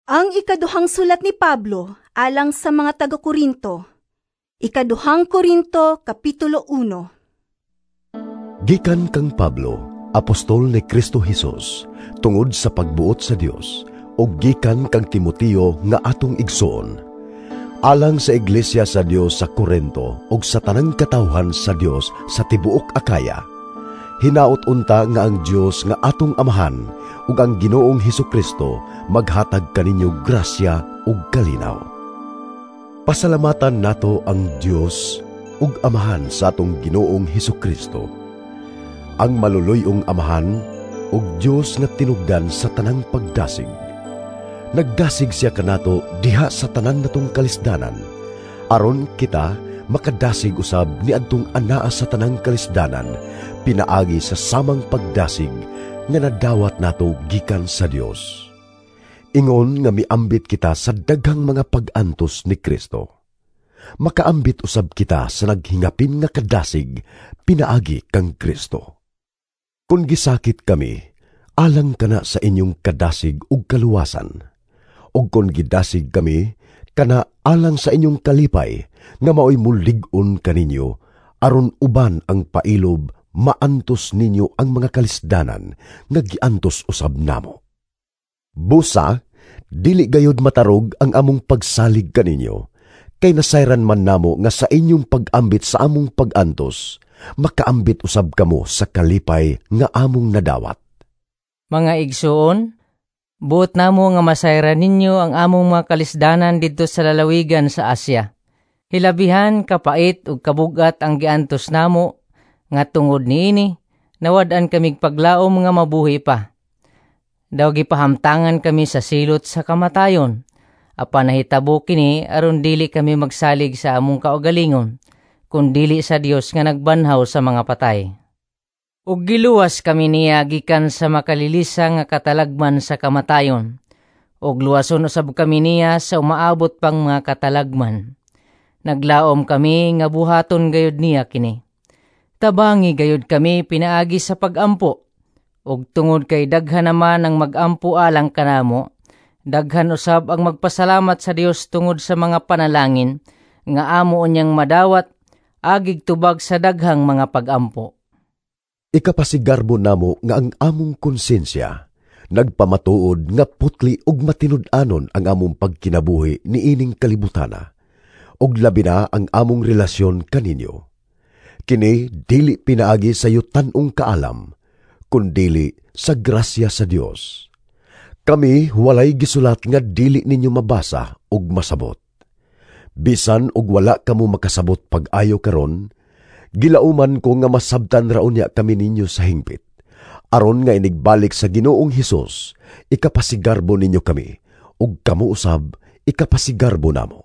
Ang ikaduhang sulat ni Pablo alang sa mga taga-Korinto. Ikaduhang Korinto, Kapitulo 1. Gikan kang Pablo, apostol ni Kristo Hesus, tungod sa pagbuot sa Dios, ug gikan kang Timoteo nga atong igsoon. Alang sa iglesia sa Dios sa Korinto ug sa tanang katawhan sa Dios sa tibuok Akaya. Hinaot unta nga ang Dios nga atong Amahan ug ang Ginoong Hesukristo maghatag kaninyo grasya ug kalinaw. Pasalamatan nato ang Dios ug Amahan sa atong Ginoong Hesukristo. Ang maluluy-ong Amahan ug Dios nga tinugdan sa tanang pagdasig. Nagdasig siya kanato diha sa tanan natong kalisdanan, aron kita makadasig usab niadtong anaa sa tanang kalisdanan, pinaagi sa samang pagdasig nga nadawat nato gikan sa Dios. Ingon nga miambit kita sa daghang mga pag-antos ni Kristo, makaambit usab kita sa naghingapin nga kadasig pinaagi kang Kristo. Kung gisakit kami, alang kana sa inyong kadasig ug kaluwasan. Ug kung gidasig kami, kana alang sa inyong kalipay nga maoy mulig-on kaninyo, aron uban ang pailob maantos ninyo ang mga kalisdanan nga giantos usab namo. Busa, dili gayod matarog ang among pagsalig kaninyo, kay nasayran man namo nga sa inyong pag-ambit sa among pag-antos, makaambit usab kamo sa kalipay nga among nadawat. Mga igsuon, buot namo nga masayran ninyo ang among mga kalisdanan didto sa lalawigan sa Asia. Hilabihan kapait ug kabugat ang giantos namo nga tungod niini nawad-an kamig paglaom nga mabuhi pa. Daw gipahamtangan kami sa silot sa kamatayon. Apan nahitabo kini aron dili kami magsalig sa among kaugalingon, kun dili sa Dios nga nagbanhaw sa mga patay. Ug giluwas kami niya gikan sa makalilisa nga katalagman sa kamatayon. Ug luwason usab kami niya sa umaabot pang mga katalagman. Naglaom kami nga buhaton gayud niya kini. Tabangi gayud kami pinaagi sa pagampo. Ug tungod kay daghan naman ang magampo alang kanamo, daghan usab ang magpasalamat sa Dios tungod sa mga panalangin nga amo unyang madawat agig tubag sa daghang mga pagampo. Ikapasigarbo namo nga ang among konsensya nagpamatuod nga putli ug matinud-anon ang among pagkinabuhi niining kalibutana, ug labi na ang among relasyon kaninyo. Kini dili pinaagi sa yutan-ong kaalam, kundili sa grasya sa Dios. Kami walay gisulat nga dili ninyo mabasa ug masabot. Bisan og wala kamo makasabot pag-ayo karon, gilauman ko nga masabtan ra unya kami ninyo sa hingpit. Aron nga inigbalik sa Ginoong Hesus, ikapasigarbo ninyo kami, ug kamo usab ikapasigarbo namo.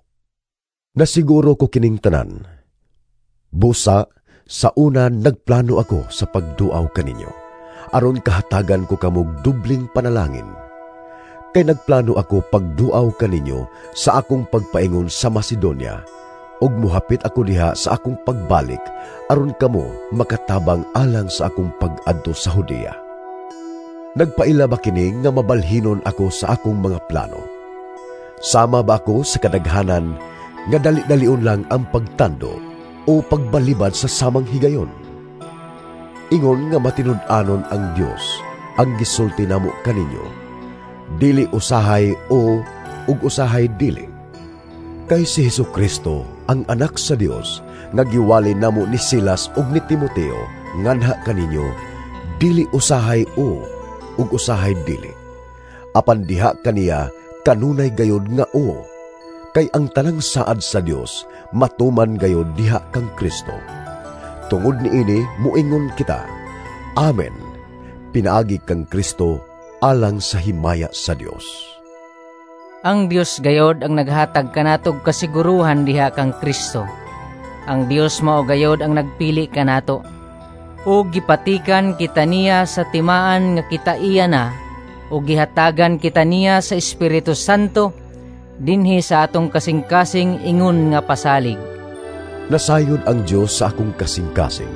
Nasiguro ko kining tanan. Busa, sa una nagplano ako sa pagduaw kaninyo, aron kahatagan ko kamog dubling panalangin. Kay nagplano ako pagduaw kaninyo sa akong pagpaingon sa Macedonia, ug muhapit ako diha sa akong pagbalik aron kamo makatabang alang sa akong pag-adto sa Judea. Nagpaila ba kini nga mabalhinon ako sa akong mga plano? Sama ba ako sa kadaghanan nga dali-dalion lang ang pagtando o pagbalibad sa samang higayon? Ingon nga matinud-anon ang Dios ang gisulti namo kaninyo, dili usahay o ug usahay dili. Kay si Hesukristo ang anak sa Dios nga giwali namo ni Silas ug ni Timoteo nganha kaninyo, dili usahay o ug usahay dili. Apan diha kaniya kanunay gayod nga o, kay ang tanang saad sa Dios matuman gayod diha kang Kristo. Tungod niini muingon kita, Amen, pinaagi kang Kristo alang sa himaya sa Dios. Ang Dios gayod ang naghatag kanatog kasiguruhan diha kang Kristo. Ang Dios mao gayod ang nagpili kanato. Ug gipatikan kita niya sa timaan nga kita iya na, ug gihatagan kita niya sa Espiritu Santo dinhi sa atong kasing-kasing ingon nga pasalig. Nasayod ang Dios sa akong kasing-kasing,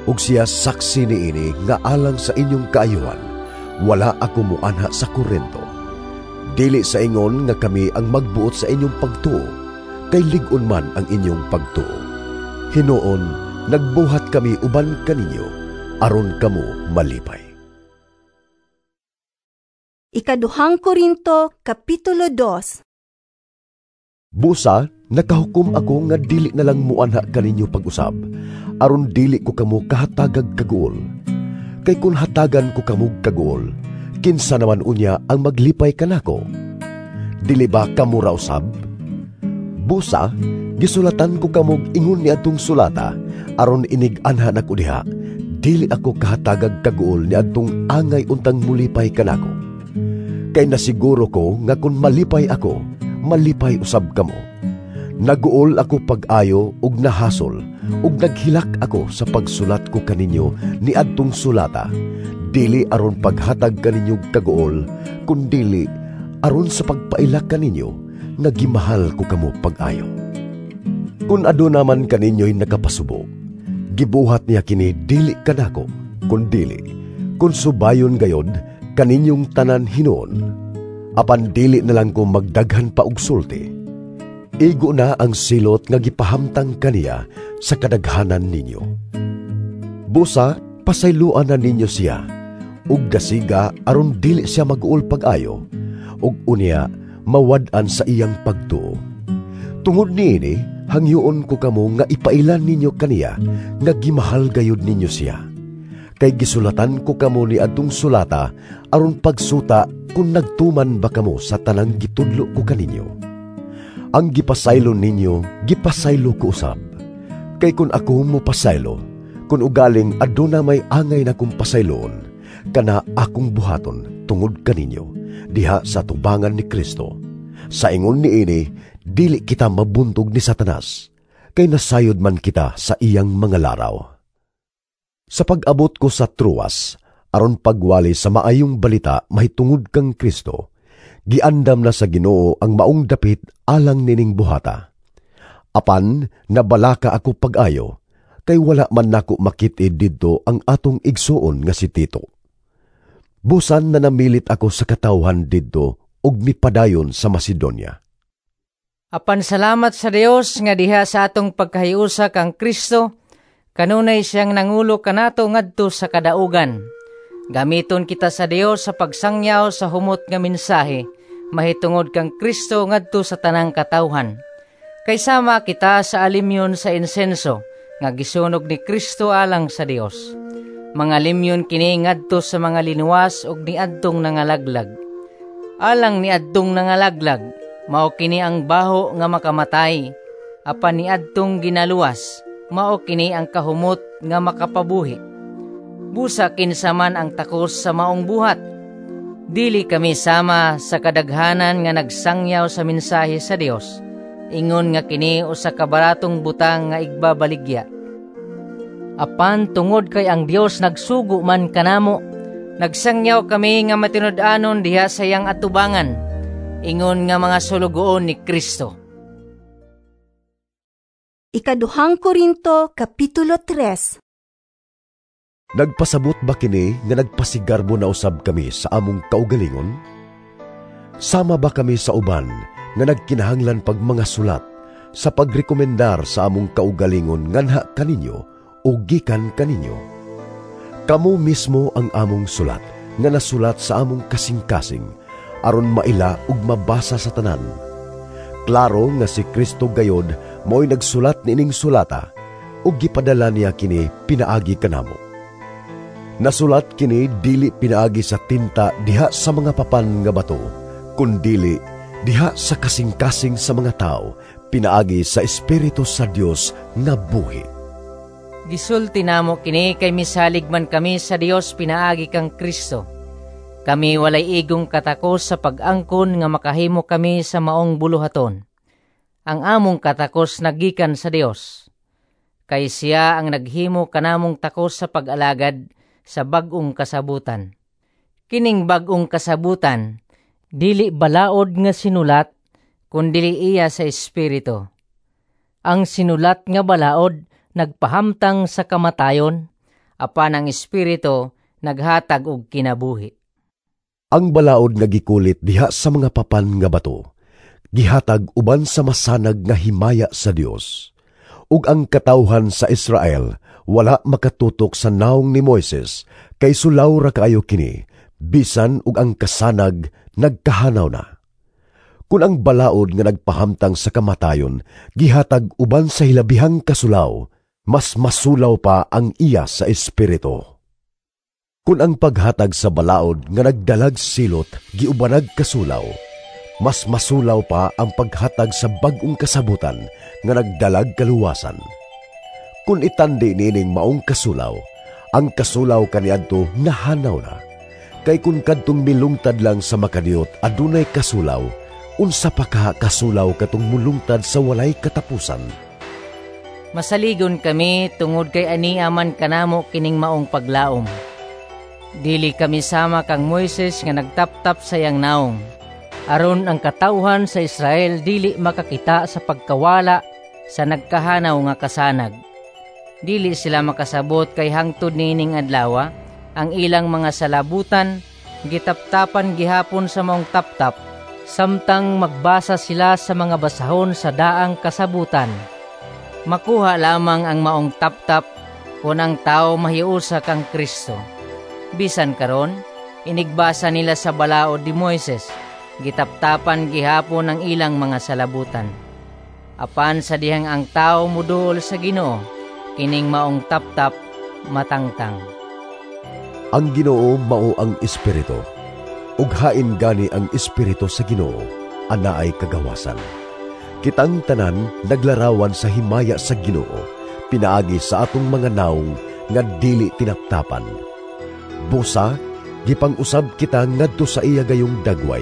ug siya saksi niini nga alang sa inyong kaayuhan, wala ako muanha sa Korinto. Dili sa ingon nga kami ang magbuot sa inyong pagtuo, kay lig-on man ang inyong pagtuo. Hinuon, nagbuhat kami uban kaninyo, aron kamo malipay. Ikaduhang Korinto, Kapitulo 2. Busa, nakahukom ako nga dili na lang muanha kaninyo pag-usab, aron dili ko kamo kahatagag kaguol. Kay kun hatagan ko kamo kaguol, kinsa naman unya ang maglipay kanako? Dili ba kamo ra usab? Busa, gisulatan ko kamo ingon niadtong sulata, aron inig-anha nako diha, dili ako kahatagag kaguol niadtong angay untang mulipay kanako. Kay nasiguro ko nga kun malipay ako, malipay usab kamo. Naguol ako pag-ayo ug nahasol, ug naghilak ako sa pagsulat ko kaninyo niadtong sulata, dili aron paghatag kaninyo kaguol, kundili aron sa pagpailak kaninyo nga gimahal ko kamo pag-ayo. Kun aduna man kaninyo'y nakapasubo, gibuhat niya kini dili kanako, kundili kun subayon gayod kaninyong tanan hinuon. Apan dili na lang ko magdaghan pa og sulti. Igo na ang silot nga gipahamtang kaniya sa kadaghanan ninyo. Busa, pasayloan na ninyo siya, ug dasiga aron dili siya mag-uol pag-ayo, ug unya mawad-an sa iyang pagtuo. Tungod niini, hangyoon ko kamo nga ipailan ninyo kaniya nga gimahal gayud ninyo siya. Kay gisulatan ko kamo ni adtong sulata aron pagsuta kung nagtuman ba kamo sa tanang gitudlo ko kaninyo. Ang gipasaylo ninyo, gipasaylo ko usab. Kay kun ako mopasaylo, kun ugaling aduna may angay na kong pasayloon, kana akong buhaton tungod kaninyo, diha sa tubangan ni Kristo. Sa ingon niini, dili kita mabuntog ni Satanas, kay nasayod man kita sa iyang mga laraw. Sa pag-abot ko sa Troas, aron pagwali sa maayong balita mahitungod kang Kristo, giandam na sa Ginoo ang maong dapit alang nining buhata. Apan nabalaka ako pag-ayo, kay wala man nako makit-id didto ang atong igsuon nga si Tito. Busan na namilit ako sa katawhan didto ug mipadayon sa Macedonia. Apan salamat sa Dios nga diha sa atong pagkahiusa kang Kristo, kanunay siyang nangulo kanato ngadto sa kadaugan. Gamiton kita sa Dios sa pagsangyaw sa humot nga mensahe, mahitungod kang Kristo ngadto sa tanang katawhan. Kay sama kita sa alimyon sa insenso, nga gisunog ni Kristo alang sa Dios. Mga limyon kini ngadto sa mga linuwas ug niadtong nangalaglag. Alang niadtong nangalaglag, mao kini ang baho nga makamatay, apan niadtong ginaluwas, mao kini ang kahumot nga makapabuhi. Busa kinsa man ang takos sa maong buhat. Dili kami sama sa kadaghanan nga nagsangyaw sa mensahe sa Dios. Ingon nga kini usa ka baratong butang nga igbabaligya. Apan tungod kay ang Dios nagsugo man kanamo, nagsangyaw kami nga matinud-anon diha sa iyang atubangan, ingon nga mga sulugoon ni Kristo. Ikaduhang Korinto, Kapitulo 3. Nagpasabot ba kini nga nagpasigarbo na usab kami sa among kaugalingon? Sama ba kami sa uban nga nagkinahanglan pag mga sulat sa pagrekomendar sa among kaugalingon nganha kaninyo o gikan kaninyo? Kamo mismo ang among sulat nga nasulat sa among kasing-kasing aron maila ug mabasa sa tanan. Klaro nga si Kristo gayod mao'y nagsulat niining sulata ug gipadala niya kini pinaagi kanamo. Nasulat kini dili pinaagi sa tinta diha sa mga papan nga bato, kundili diha sa kasing-kasing sa mga tao, pinaagi sa Espiritu sa Dios nga buhi. Gisulti namo kini kay misalig man kami sa Dios pinaagi kang Kristo. Kami walay igong katakos sa pag-angkon nga makahimo kami sa maong buluhaton. Ang among katakos nagikan sa Dios. Kay siya ang naghimo kanamong takos sa pag-alagad sa bag-ong kasabutan. Kining bag-ong kasabutan, dili balaod nga sinulat, kundili iya sa Espiritu. Ang sinulat nga balaod nagpahamtang sa kamatayon, apan ang Espiritu naghatag og kinabuhi. Ang balaod nga gikulit diha sa mga papan nga bato, gihatag uban sa masanag nga himaya sa Dios. Ug ang katawhan sa Israel wala makatutok sa naong ni Moises, kay sulaw ra kaayo kini, bisan ug ang kasanag nagkahanaw na. Kun ang balaod nga nagpahamtang sa kamatayon gihatag uban sa hilabihang kasulaw, mas masulaw pa ang iya sa espiritu. Kun ang paghatag sa balaod nga nagdalag silot giubanag kasulaw, mas masulaw pa ang paghatag sa bag-ong kasabutan nga nagdalag kaluwasan. Kun itandi nining maong kasulaw, ang kasulaw kaniadto nahanaw na. Kay kun kadtong milungtad lang sa makadiyot adunay kasulaw, unsa pa ka kasulaw katong mulungtad sa walay katapusan. Masaligon kami tungod kay ania man kanamo kining maong paglaom. Dili kami sama kang Moises nga nagtaptap sa iyang naong, aron ang katawhan sa Israel dili makakita sa pagkawala sa nagkahanaw nga kasanag. Dili sila makasabot kay hangtod niining adlaw ang ilang mga salabutan gitaptapan gihapon sa maong taptap, samtang magbasa sila sa mga basahon sa daang kasabutan. Makuha lamang ang maong taptap kung ang tao mahiusa kang Kristo. Bisan karon, inigbasa nila sa balaod ni Moises, gitaptapan gihapon ang ilang mga salabutan. Apan sa dihang ang tao muduol sa Ginoo, kining maong taptap matangtang. Ang Ginoo mao ang Espiritu, ug hain gani ang Espiritu sa Ginoo, anaay kagawasan. Kitang tanan naglarawan sa himaya sa Ginoo, pinaagi sa atong mga naong nga dili tinaptapan. Busa, gipang-usab kita ngadto sa iya gayong dagway,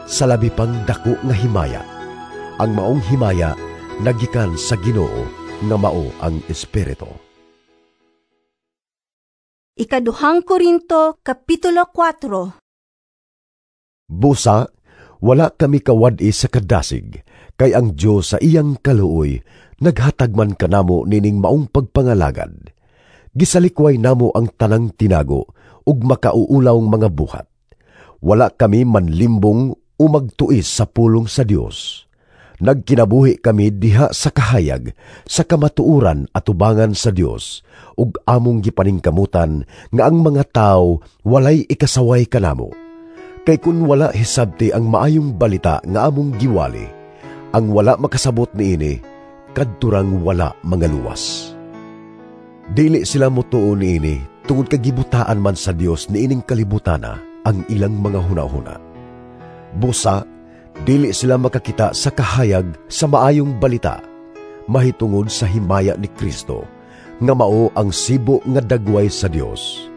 sa labi pang dako nga himaya. Ang maong himaya nagikan sa Ginoo nga mao ang Espiritu. Ikaduhang Korinto, Kapitulo 4. Busa, wala kami kawad-i sa kadasig, kay ang Dios sa iyang kaluoy naghatag man kanamo nining maong pagpangalagad. Gisalikway namo ang tanang tinago ug makauulawng mga buhat. Wala kami manlimbong o magtuis sa pulong sa Dios. Nagkinabuhi kami diha sa kahayag, sa kamatuoran atubangan sa Dios, ug among gipaningkamutan nga ang mga tao walay ikasaway kanamo. Kay kun wala hisabti ang maayong balita nga among giwali, ang wala makasabot niini, kadturang wala mangaluwas. Dili sila motuo niini tungod kay gibutaan man sa Dios niining kalibutana ang ilang mga hunahuna. Busa, dili sila makakita sa kahayag sa maayong balita, mahitungod sa himaya ni Kristo, nga mao ang sibo nga dagway sa Dios.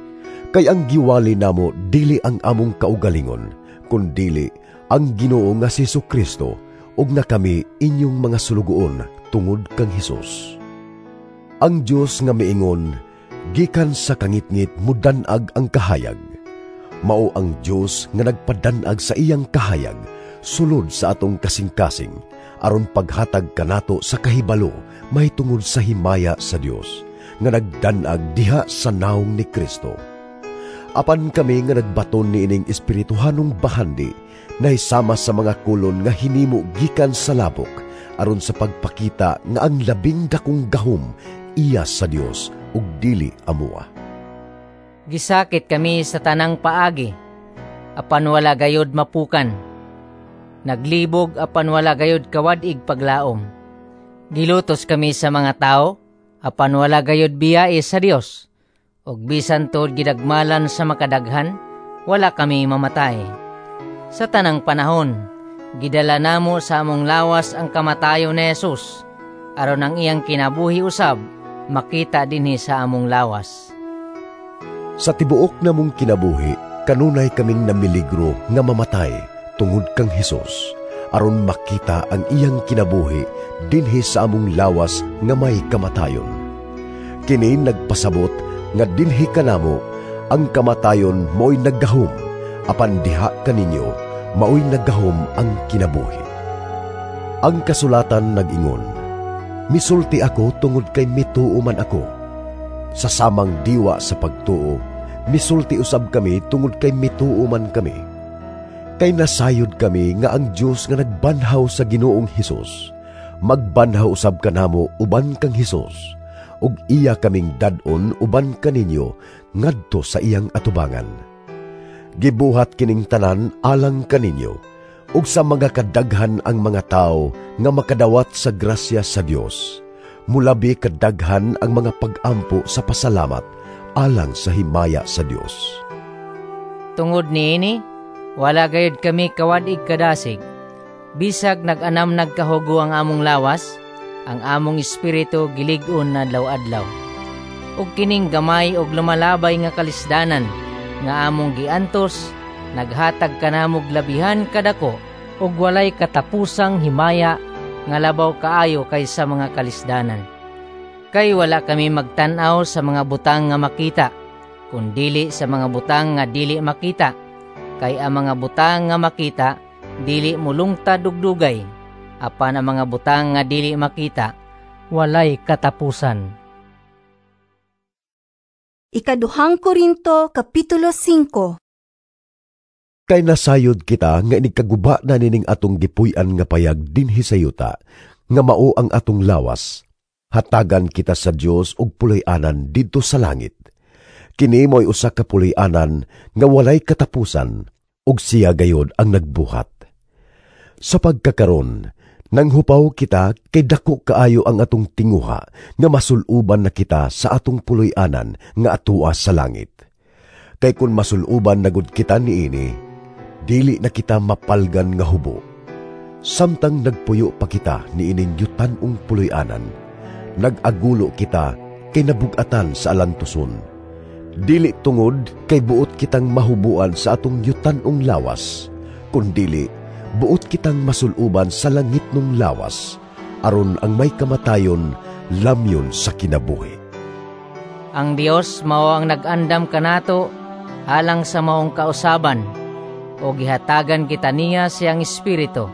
Kay ang giwali namo dili ang among kaugalingon, kundili ang Ginoo nga si Jesucristo, ug na kami inyong mga sulugoon tungod kang Hesus. Ang Dios nga miingon, gikan sa kangitngit mudan-ag ang kahayag. Mao ang Dios nga nagpadan-ag sa iyang kahayag sulod sa atong kasing-kasing, aron paghatag kanato sa kahibalo mahitungod sa himaya sa Dios nga nagdan-ag diha sa naong ni Kristo. Apan kami nga nagbaton niining espirituhanong bahandi, nahisama sa mga kolon nga hinimo gikan sa labok, aron sa pagpakita nga ang labing dakong gahom iya sa Dios ug dili amoa. Gisakit kami sa tanang paagi, apan wala gayod mapukan. Naglibog apan wala gayod kawad-ig paglaom. Gilutos kami sa mga tao, apan wala gayod biyae sa Dios. Og bisan tuod gidagmalan sa makadaghan, wala kami mamatay. Sa tanang panahon, gidala namo sa among lawas ang kamatayon ni Jesus, aron ang iyang kinabuhi usab makita dinhi sa among lawas. Sa tibuok namong kinabuhi, kanunay kaming namiligro nga mamatay tungod kang Hesus, aron makita ang iyang kinabuhi dinhi sa among lawas nga may kamatayon. Kini nagpasabot nga dinhi kanamo ang kamatayon mo'y naggahom, apan diha kaninyo mao'y naggahom ang kinabuhi. Ang kasulatan nag-ingon, misulti ako tungod kay mituo man ako. Sa samang diwa sa pagtuo, misulti usab kami tungod kay mituo man kami. Kay nasayod kami nga ang Dios nga nagbanhaw sa Ginoong Hesus, magbanhaw usab kanamo uban kang Hesus, ug iya kaming dad-on uban kaninyo ngadto sa iyang atubangan. Gibuhat kining tanan alang kaninyo, ug sa mga kadaghan ang mga tawo nga makadawat sa grasya sa Dios, mulabi kadaghan ang mga pag-ampo sa pasalamat alang sa himaya sa Dios. Tungod niini, wala gayud kami kawad-ig kadasig. Bisag nag-anam nagkahugo ang among lawas, ang among espiritu gilig-on adlaw-adlaw. Ug kining gamay og lumalabay nga kalisdanan nga among giantos, naghatag kanamog labihan kadako ug walay katapusang himaya nga labaw kaayo kaysa mga kalisdanan. Kay wala kami magtan-aw sa mga butang nga makita, kundili sa mga butang nga dili makita. Kay ang mga butang nga makita dili mulungtad og dugay, apan ang mga butang nga dili makita walay katapusan. Ikaduhang Korinto, Kapitulo 5. Kay nasayod kita nga inigkaguba na nining atong gipuy-an nga payag dinhi sa yuta, nga mao ang atong lawas. Hatagan kita sa Dios og pulay-anan didto sa langit. Kini mo'y usa ka pulay-anan nga walay katapusan, ug siya gayod ang nagbuhat. Sa pagkakaron, nanghupaw kita kay dako kaayo ang atong tinguha nga masuluban na kita sa atong puloy-anan nga atua sa langit. Kay kun masuluban na gud kita niini, dili na kita mapalgan nga hubo. Samtang nagpuyo pa kita niining yutan-ong puloy-anan, nag-agulo kita kay nabugatan sa alantuson. Dili tungod kay buot kitang mahubuan sa atong yutan-ong lawas, kundili buot kitang masuluban sa langit nung lawas, aron ang may kamatayon lamyon sa kinabuhi. Ang Dios mao ang nag-andam kanato alang sa maong kausaban, o gihatagan kita niya siyang espiritu,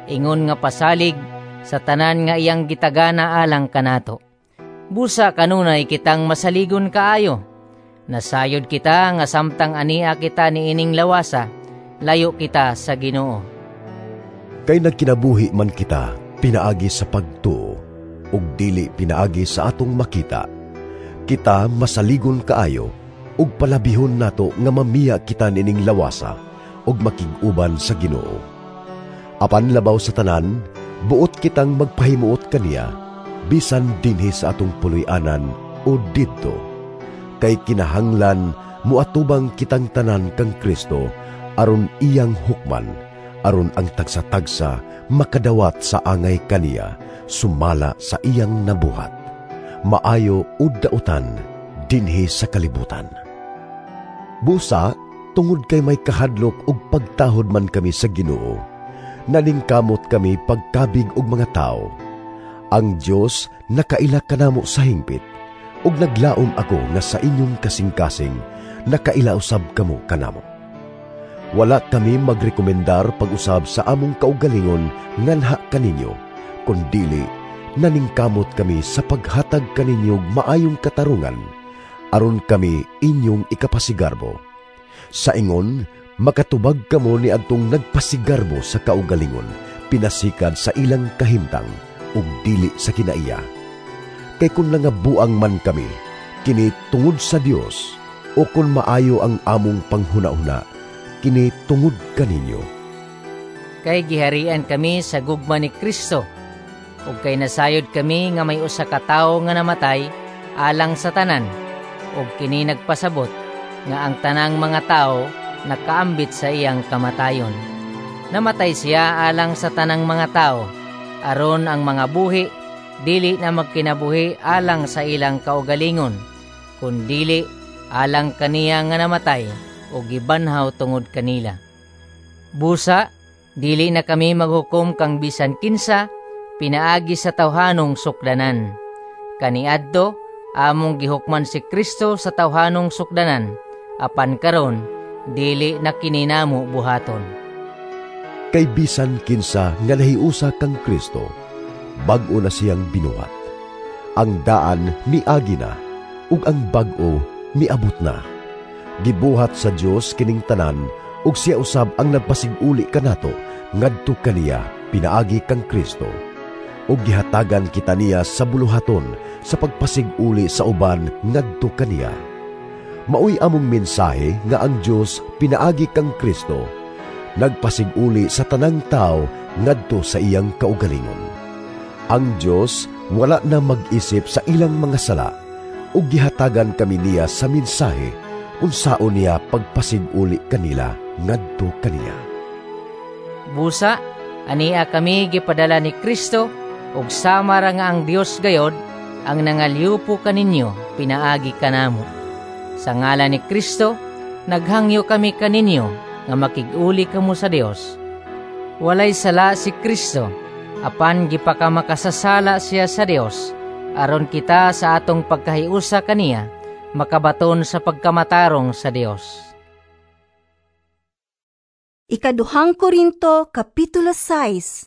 ingon nga pasalig sa tanan nga iyang gitagana alang kanato. Busa kanunay kitang masaligon kaayo. Nasayod kita nga samtang ania kita niining lawasa, layo kita sa Ginoo. Kay nagkinabuhi man kita pinaagi sa pagtuo, ug dili pinaagi sa atong makita. Kita masaligon kaayo, ug palabihon nato nga mamiya kita nining lawasa, ug makig-uban sa Ginoo. Apan labaw sa tanan, buot kitang magpahimuot kaniya, bisan dinhi sa atong puloy-anan o didto. Kay kinahanglan muatubang kitang tanan kang Kristo aron iyang hukman, aron ang tagsa-tagsa makadawat sa angay kaniya sumala sa iyang nabuhat, maayo o dautan dinhi sa kalibutan. Busa, tungod kay may kahadlok ug pagtahod man kami sa Ginoo, naningkamot kami pagkabig og mga tao. Ang Dios nakaila kanamo sa hingpit, ug naglaom ako nga sa inyong kasing-kasing nakaila usab kamo kanamo. Wala kami magrekomendar pag-usab sa among kaugalingon nganha kaninyo, kundili naningkamot kami sa paghatag kaninyo maayong katarungan, aron kami inyong ikapasigarbo. Sa ingon, makatubag kamo ni adtong nagpasigarbo sa kaugalingon, pinasikad sa ilang kahimtang ug dili sa kinaiya. Kay kun nangabuang man kami, kini tungod sa Dios, o kun maayo ang among panghuna-huna, kini tungod kaninyo. Kay giharian kami sa gugma ni Kristo, ug kay nasayod kami nga may usa ka tawo nga namatay alang sa tanan, ug kini nagpasabot nga ang tanang mga tawo nakaambit sa iyang kamatayon. Namatay siya alang sa tanang mga tawo, aron ang mga buhi dili na magkinabuhi alang sa ilang kaugalingon, kundili alang kaniya nga namatay o gibanhaw tungod kanila. Busa, dili na kami maghukom kang bisan kinsa pinaagi sa tawhanong sukdanan. Kaniadto, among gihukman si Kristo sa tawhanong sukdanan, apan karon dili na kininamo buhaton. Kay bisan kinsa nga nahiusa kang Kristo, bag-o na siyang binuhat. Ang daan miagi na, ug ang bag-o miabot na. Gibuhat sa Dios kining tanan Ug siya usab ang nagpasig-uli kanato ngadto kaniya pinaagi kang Kristo. Ug gihatagan kita niya sa buluhaton sa pagpasig-uli sa uban ngadto kaniya. Maoy among mensahe nga ang Dios pinaagi kang Kristo nagpasig-uli sa tanang tao ngadto sa iyang kaugalingon. Ang Dios wala na mag-isip sa ilang mga sala ug gihatagan kami niya sa mensahe unsaon niya pagpasig-uli kanila ngadto kaniya. Busa, ania kami gipadala ni Kristo ug sama ra nga ang Dios gayod ang nangalyupo kaninyo pinaagi kanamo. Sa ngalan ni Kristo, naghangyo kami kaninyo nga makig-uli kamo sa Dios. Walay sala si Kristo, apan gipakamakasasala siya sa Dios, aron kita sa atong pagkahiusa kaniya makabaton sa pagkamatarong sa Dios. Ikaduhang Korinto, Kapitulo 6.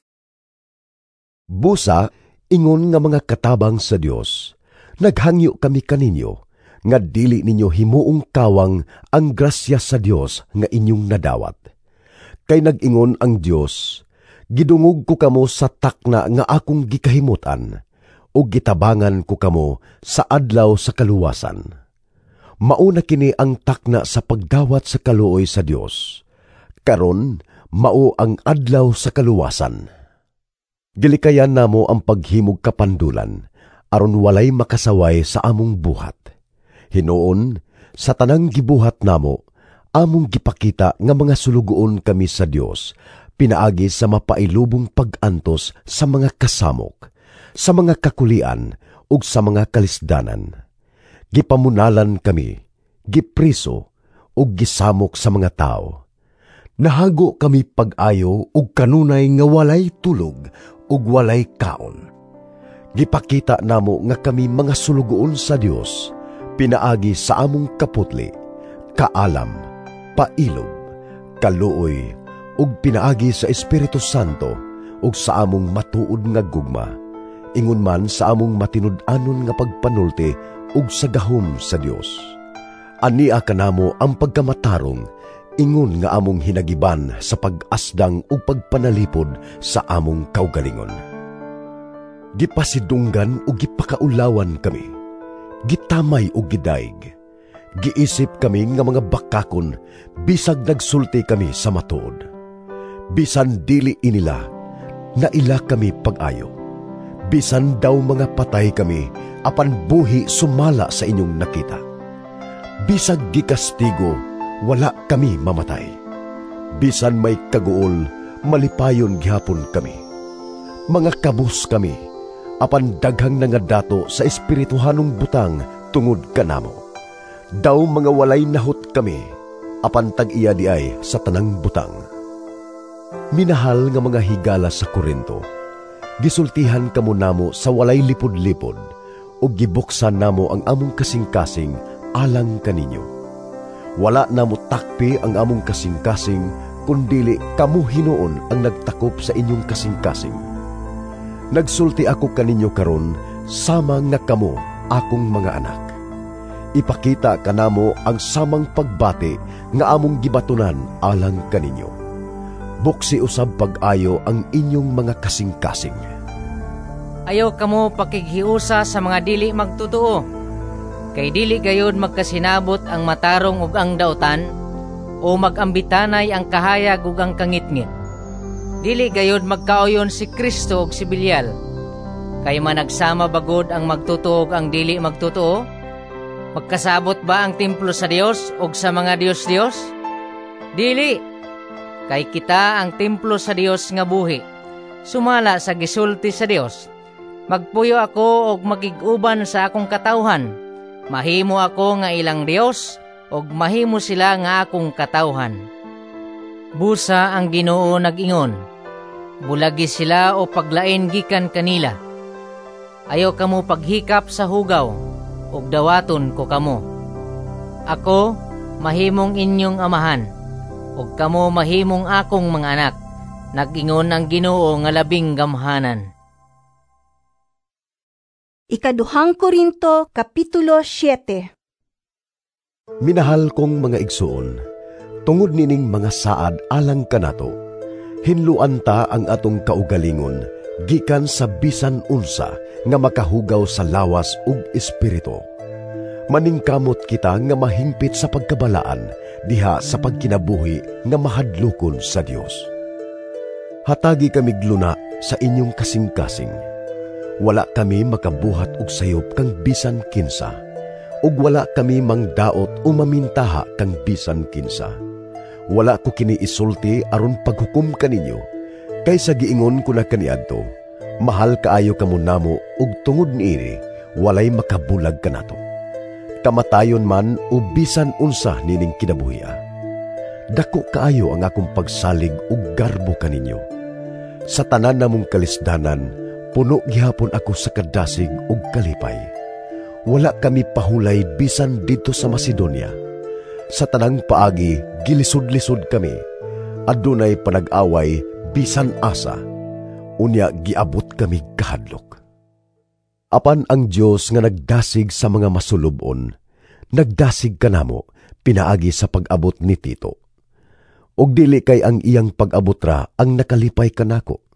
Busa, ingon nga mga katabang sa Dios, naghangyo kami kaninyo, nga dili ninyo himuong kawang ang grasya sa Dios nga inyong nadawat. Kay nag-ingon ang Dios, gidungog ko kamo sa takna nga akong gikahimutan, ug gitabangan ko kamo sa adlaw sa kaluwasan. Mauna kini ang takna sa pagdawat sa kaluoy sa Dios. Karon, mao ang adlaw sa kaluwasan. Gilikayan namo ang paghimog kapandulan, aron walay makasaway sa among buhat. Hinuon, sa tanang gibuhat namo, among gipakita nga mga sulugoon kami sa Dios, pinaagi sa mapailubong pag-antos sa mga kasamok, sa mga kakulian ug sa mga kalisdanan. Gipamunalan kami, gipriso ug gisamok sa mga tao. Nahago kami pag-ayo ug kanunay nga walay tulog ug walay kaon. Gipakita namo nga kami mga sulugoon sa Dios, pinaagi sa among kaputli, kaalam, pailob, kaluoy, ug pinaagi sa Espiritu Santo ug sa among matuod nga gugma, ingon man sa among matinud-anon nga pagpanulti ug sa gahom sa Dios. Ania kanamo ang pagkamatarong, ingon nga among hinagiban sa pag-asdang ug pagpanalipod sa among kaugalingon. Gipasidunggan ug gipakaulawan kami, gitamay ug gidaig. Giisip kami nga mga bakakon, bisag nagsulti kami sa matuod. Bisan dili inila, naila kami pag-ayo. Bisan daw mga patay kami, apan buhi sumala sa inyong nakita. Bisag gikastigo, wala kami mamatay. Bisan may kaguol, malipayon gihapon kami. Mga kabus kami, apan daghang nangadato sa espirituhanong butang tungod kanamo. Daw mga walay nahot kami, apan tag-iya diay sa tanang butang. Minahal nga mga higala sa Korinto, gisultihan kamo namo sa walay lipod-lipod, ug gibuksan namo ang among kasing-kasing alang kaninyo. Wala namo takpi ang among kasing-kasing, kundili kamo hinuon ang nagtakop sa inyong kasing-kasing. Nagsulti ako kaninyo karon, sama nga kamo akong mga anak. Ipakita kanamo ang samang pagbati nga among gibatunan alang kaninyo. Buksi usab pag-ayo ang inyong mga kasing-kasing. Ayaw kamo pakighiusa sa mga dili magtotoo. Kay dili gayod magkasinabot ang matarong ug ang dautan, o magambitanay ang kahayag ug ang kangitngit. Dili gayod magkauyon si Kristo ug si Belial. Kay managsama bagod ang magtotoo ug ang dili magtotoo? Magkasabot ba ang templo sa Dios ug sa mga Dios-Dios? Dili! Kay kita ang templo sa Dios nga buhi, sumala sa gisulti sa Dios. Magpuyo ako og magig-uban sa akong katawhan. Mahimo ako nga ilang Dios og mahimo sila nga akong katawhan. Busa ang Ginoo nag-ingon, bulagi sila o paglain gikan kanila. Ayaw kamo paghikap sa hugaw, ug dawaton ko kamo. Ako mahimong inyong amahan, ug kamo mahimong akong mga anak. Nag-ingon ang Ginoo nga labing gamhanan. Ikaduhang Korinto, Kapitulo 7. Minahal kong mga igsoon, Tungod nining mga saad alang kanato, hinluan ta ang atong kaugalingon gikan sa bisan unsa nga makahugaw sa lawas ug espiritu. Maningkamot kita nga mahingpit sa pagkabalaan diha sa pagkinabuhi nga mahadlokon sa Dios. Hatagi kami gluna sa inyong kasing-kasing. Wala kami makabuhat og sayop kang bisan kinsa, ug wala kami mangdaot o mamintaha kang bisan kinsa. Wala ko kini isulti aron paghukom kaninyo, kaysa giingon ko na kaniadto, mahal kaayo kamo namo ug tungod niini walay makabulag kanato. Kamatayon man o bisan unsa nining kinabuhia. Dako kaayo ang akong pagsalig ug garbo kaninyo. Sa tanan namong kalisdanan, puno gihapon ako sa kadasig ug kalipay. Wala kami pahulay bisan didto sa Macedonia. Sa tanang paagi, gilisod-lisod kami. Adunay panag-away bisan asa. Unya giabot kami kahadlok. Apan ang Dios nga nagdasig sa mga masulubon, nagdasig kanamo pinaagi sa pag-abot ni Tito. Og dili kay ang iyang pag-abot ra ang nakalipay kanako,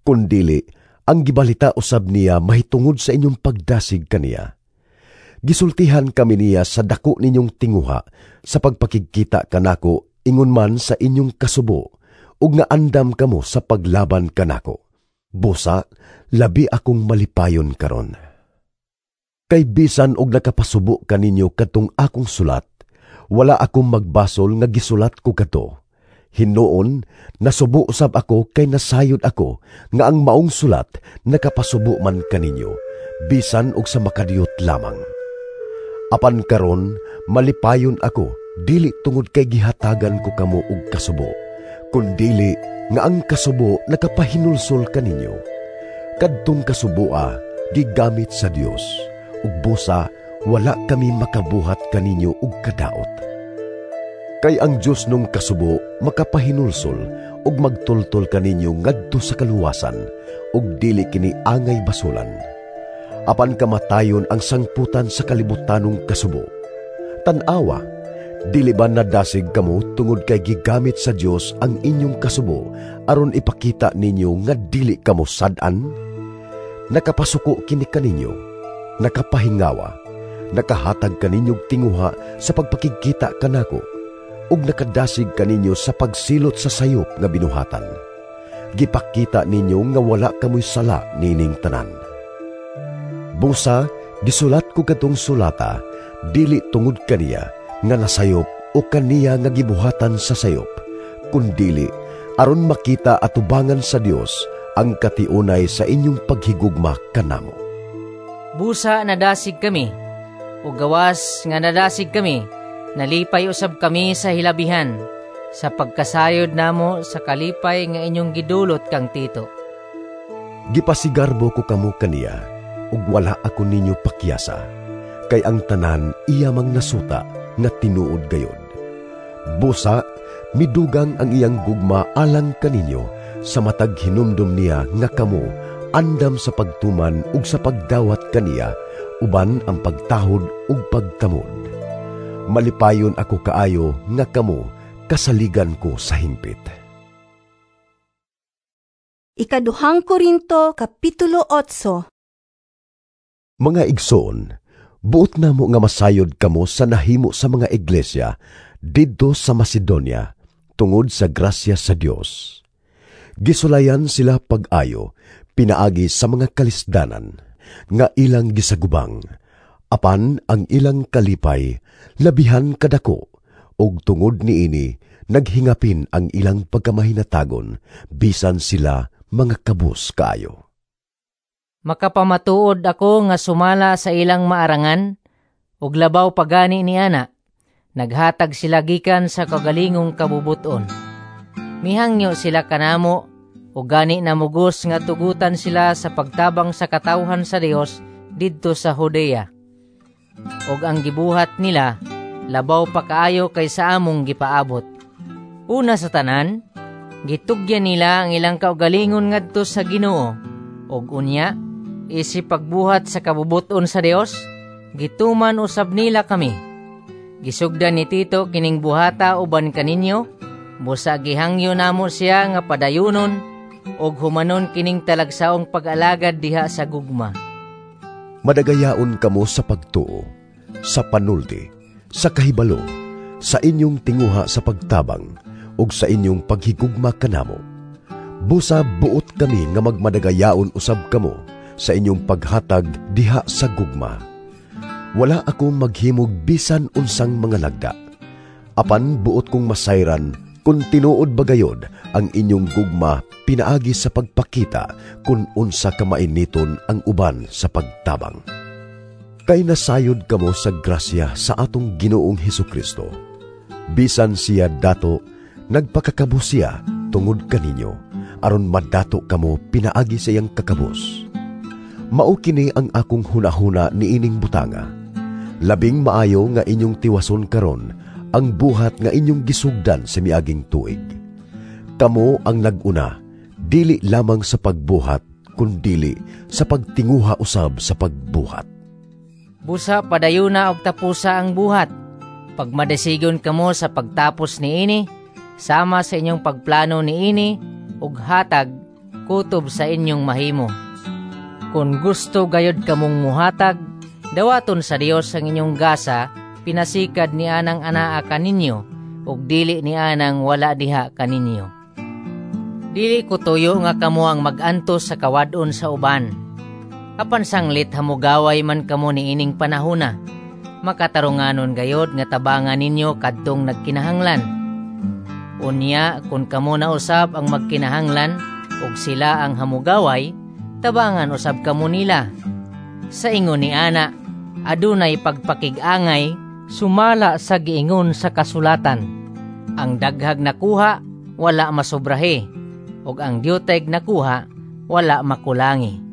kundili ang gibalita usab niya mahitungod sa inyong pagdasig kaniya. Gisultihan kami niya sa dako ninyong tinguha sa pagpakigkita kanako ingon man sa inyong kasubo ug nga andam kamo sa paglaban kanako. Busa, labi akong malipayon karon. Kay bisan og nakapasubo kaninyo kadtong akong sulat, wala akong magbasol nga gisulat ko kadto. Hinuon, nasubo usab ako kay nasayod ako nga ang maong sulat nakapasubo man kaninyo, bisan og sa makadiyot lamang. Apan karon, malipayon ako, dili tungod kay gihatagan ko kamo og kasubo, kundili nga ang kasubo nakapahinulsol kaninyo. Kadtong kasuboa gigamit sa Dios, ug busa wala kami makabuhat kaninyo og kadaot. Kay ang Dios nung kasubo makapahinulsol ug magtultol kaninyo ngadto sa kaluwasan, ug dili kini angay basulan. Apan kamatayon ang sangputan sa kalibutanong kasubo. Tan-awa, dili ba nadasig kamo tungod kay gigamit sa Dios ang inyong kasubo aron ipakita ninyo nga dili kamo sad-an? Nakapasuko kini kaninyo, nakapahingawa, nakahatag kaninyog tinguha sa pagpakigkita kanako, ug nakadasig kaninyo sa pagsilot sa sayop nga binuhatan. Gipakita ninyo nga wala kamoy sala nining tanan. Busa, gisulat ko katong sulata, dili tungod kaniya nga nasayop o kaniya nga gibuhatan sa sayop, kundili aron makita atubangan sa Dios ang katiunay sa inyong paghigugma kanamo. Busa nadasig kami, o gawas nga nadasig kami, nalipay usab kami sa hilabihan, sa pagkasayod namo sa kalipay nga inyong gidulot kang Tito. Gipasigarbo ko kamo kaniya, ug wala ako ninyo pakyasa, kay ang tanan iya mang nasuta nga tinuod gayod. Busa, midugang ang iyang gugma alang kaninyo sa matag hinumdum niya nga kamo andam sa pagtuman ug sa pagdawat kaniya uban ang pagtahod ug pagtamod. Malipayon ako kaayo nga kamo kasaligan ko sa hingpit. Ikaduhang Korinto, Kapitulo 8. Mga igsoon, buot namo nga masayod kamo sa nahimo sa mga iglesia didto sa Macedonia tungod sa grasya sa Dios. Gisulayan sila pag-ayo pinaagi sa mga kalisdanan nga ilang gisagubang, apan ang ilang kalipay labihan kadako, ug tungod niini naghingapin ang ilang pagkamahinatagon bisan sila mga kabus kaayo. Makapamatuod ako nga sumala sa ilang maarangan, ug labaw pagani ni ana, naghatag sila gikan sa kagalingong kabubuton. Mihangyo sila kanamo, ug gani namugos nga tugutan sila sa pagtabang sa katawhan sa Dios didto sa Judea. Ug ang gibuhat nila, labaw pa kaayo kaysa among gipaabot. Una sa tanan, gitugyan nila ang ilang kaugalingon ngadto sa Ginoo, ug unya, isip pagbuhat sa kabubuton sa Dios, gituman usab nila kami. Gisugdan ni Tito kining buhata uban kaninyo, busa gihangyo namo siya nga padayunon og humanon kining talagsaong pag-alagad diha sa gugma. Madagayaon kamo sa pagtuo, sa panulti, sa kahibalo, sa inyong tinguha sa pagtabang, ug sa inyong paghigugma kanamo. Busa buot kami nga magmadagayaon usab kamo sa inyong paghatag diha sa gugma. Wala ako maghimog bisan unsang mga lagda. Apan buot kong masayran kung tinuod bagayod ang inyong gugma pinaagi sa pagpakita kung unsa ka mainiton ang uban sa pagtabang. Kay nasayod kamo sa grasya sa atong Ginoong Hesukristo. Bisan siya dato, nagpakakabos siya tungod kaninyo, aron madato kamo pinaagi sa iyang kakabos. Mao kini ang akong hunahuna niining butanga. Labing maayo nga inyong tiwason karon ang buhat nga inyong gisugdan sa miaging tuig. Kamo ang nag-una, dili lamang sa pagbuhat, kundili sa pagtinguha usab sa pagbuhat. Busa padayuna og tapusa ang buhat. Pagmadasigon kamo sa pagtapos niini, sama sa inyong pagplano niini, ug hatag kutob sa inyong mahimo. Kung gusto gayod kamong muhatag, dawaton sa Dios ang inyong gasa, pinasikad ni anang anaa kaninyo, ug dili ni anang wala diha kaninyo. Dili ko tuyo nga kamo ang mag-antos sa kawad-on sa uban. Apan sanglit hamugaway man kamo niining panahona, makatarunganon gayod nga tabangan ninyo kadtong nagkinahanglan. Unya, kung kamo na usab ang magkinahanglan ug sila ang hamugaway, tabangan usab kamo nila. Sa ingon ni ana, adunay pagpakig-angay sumala sa giingon sa kasulatan. Ang daghag nakuha, wala masobrahe, ug ang diuteg nakuha, wala makulangi.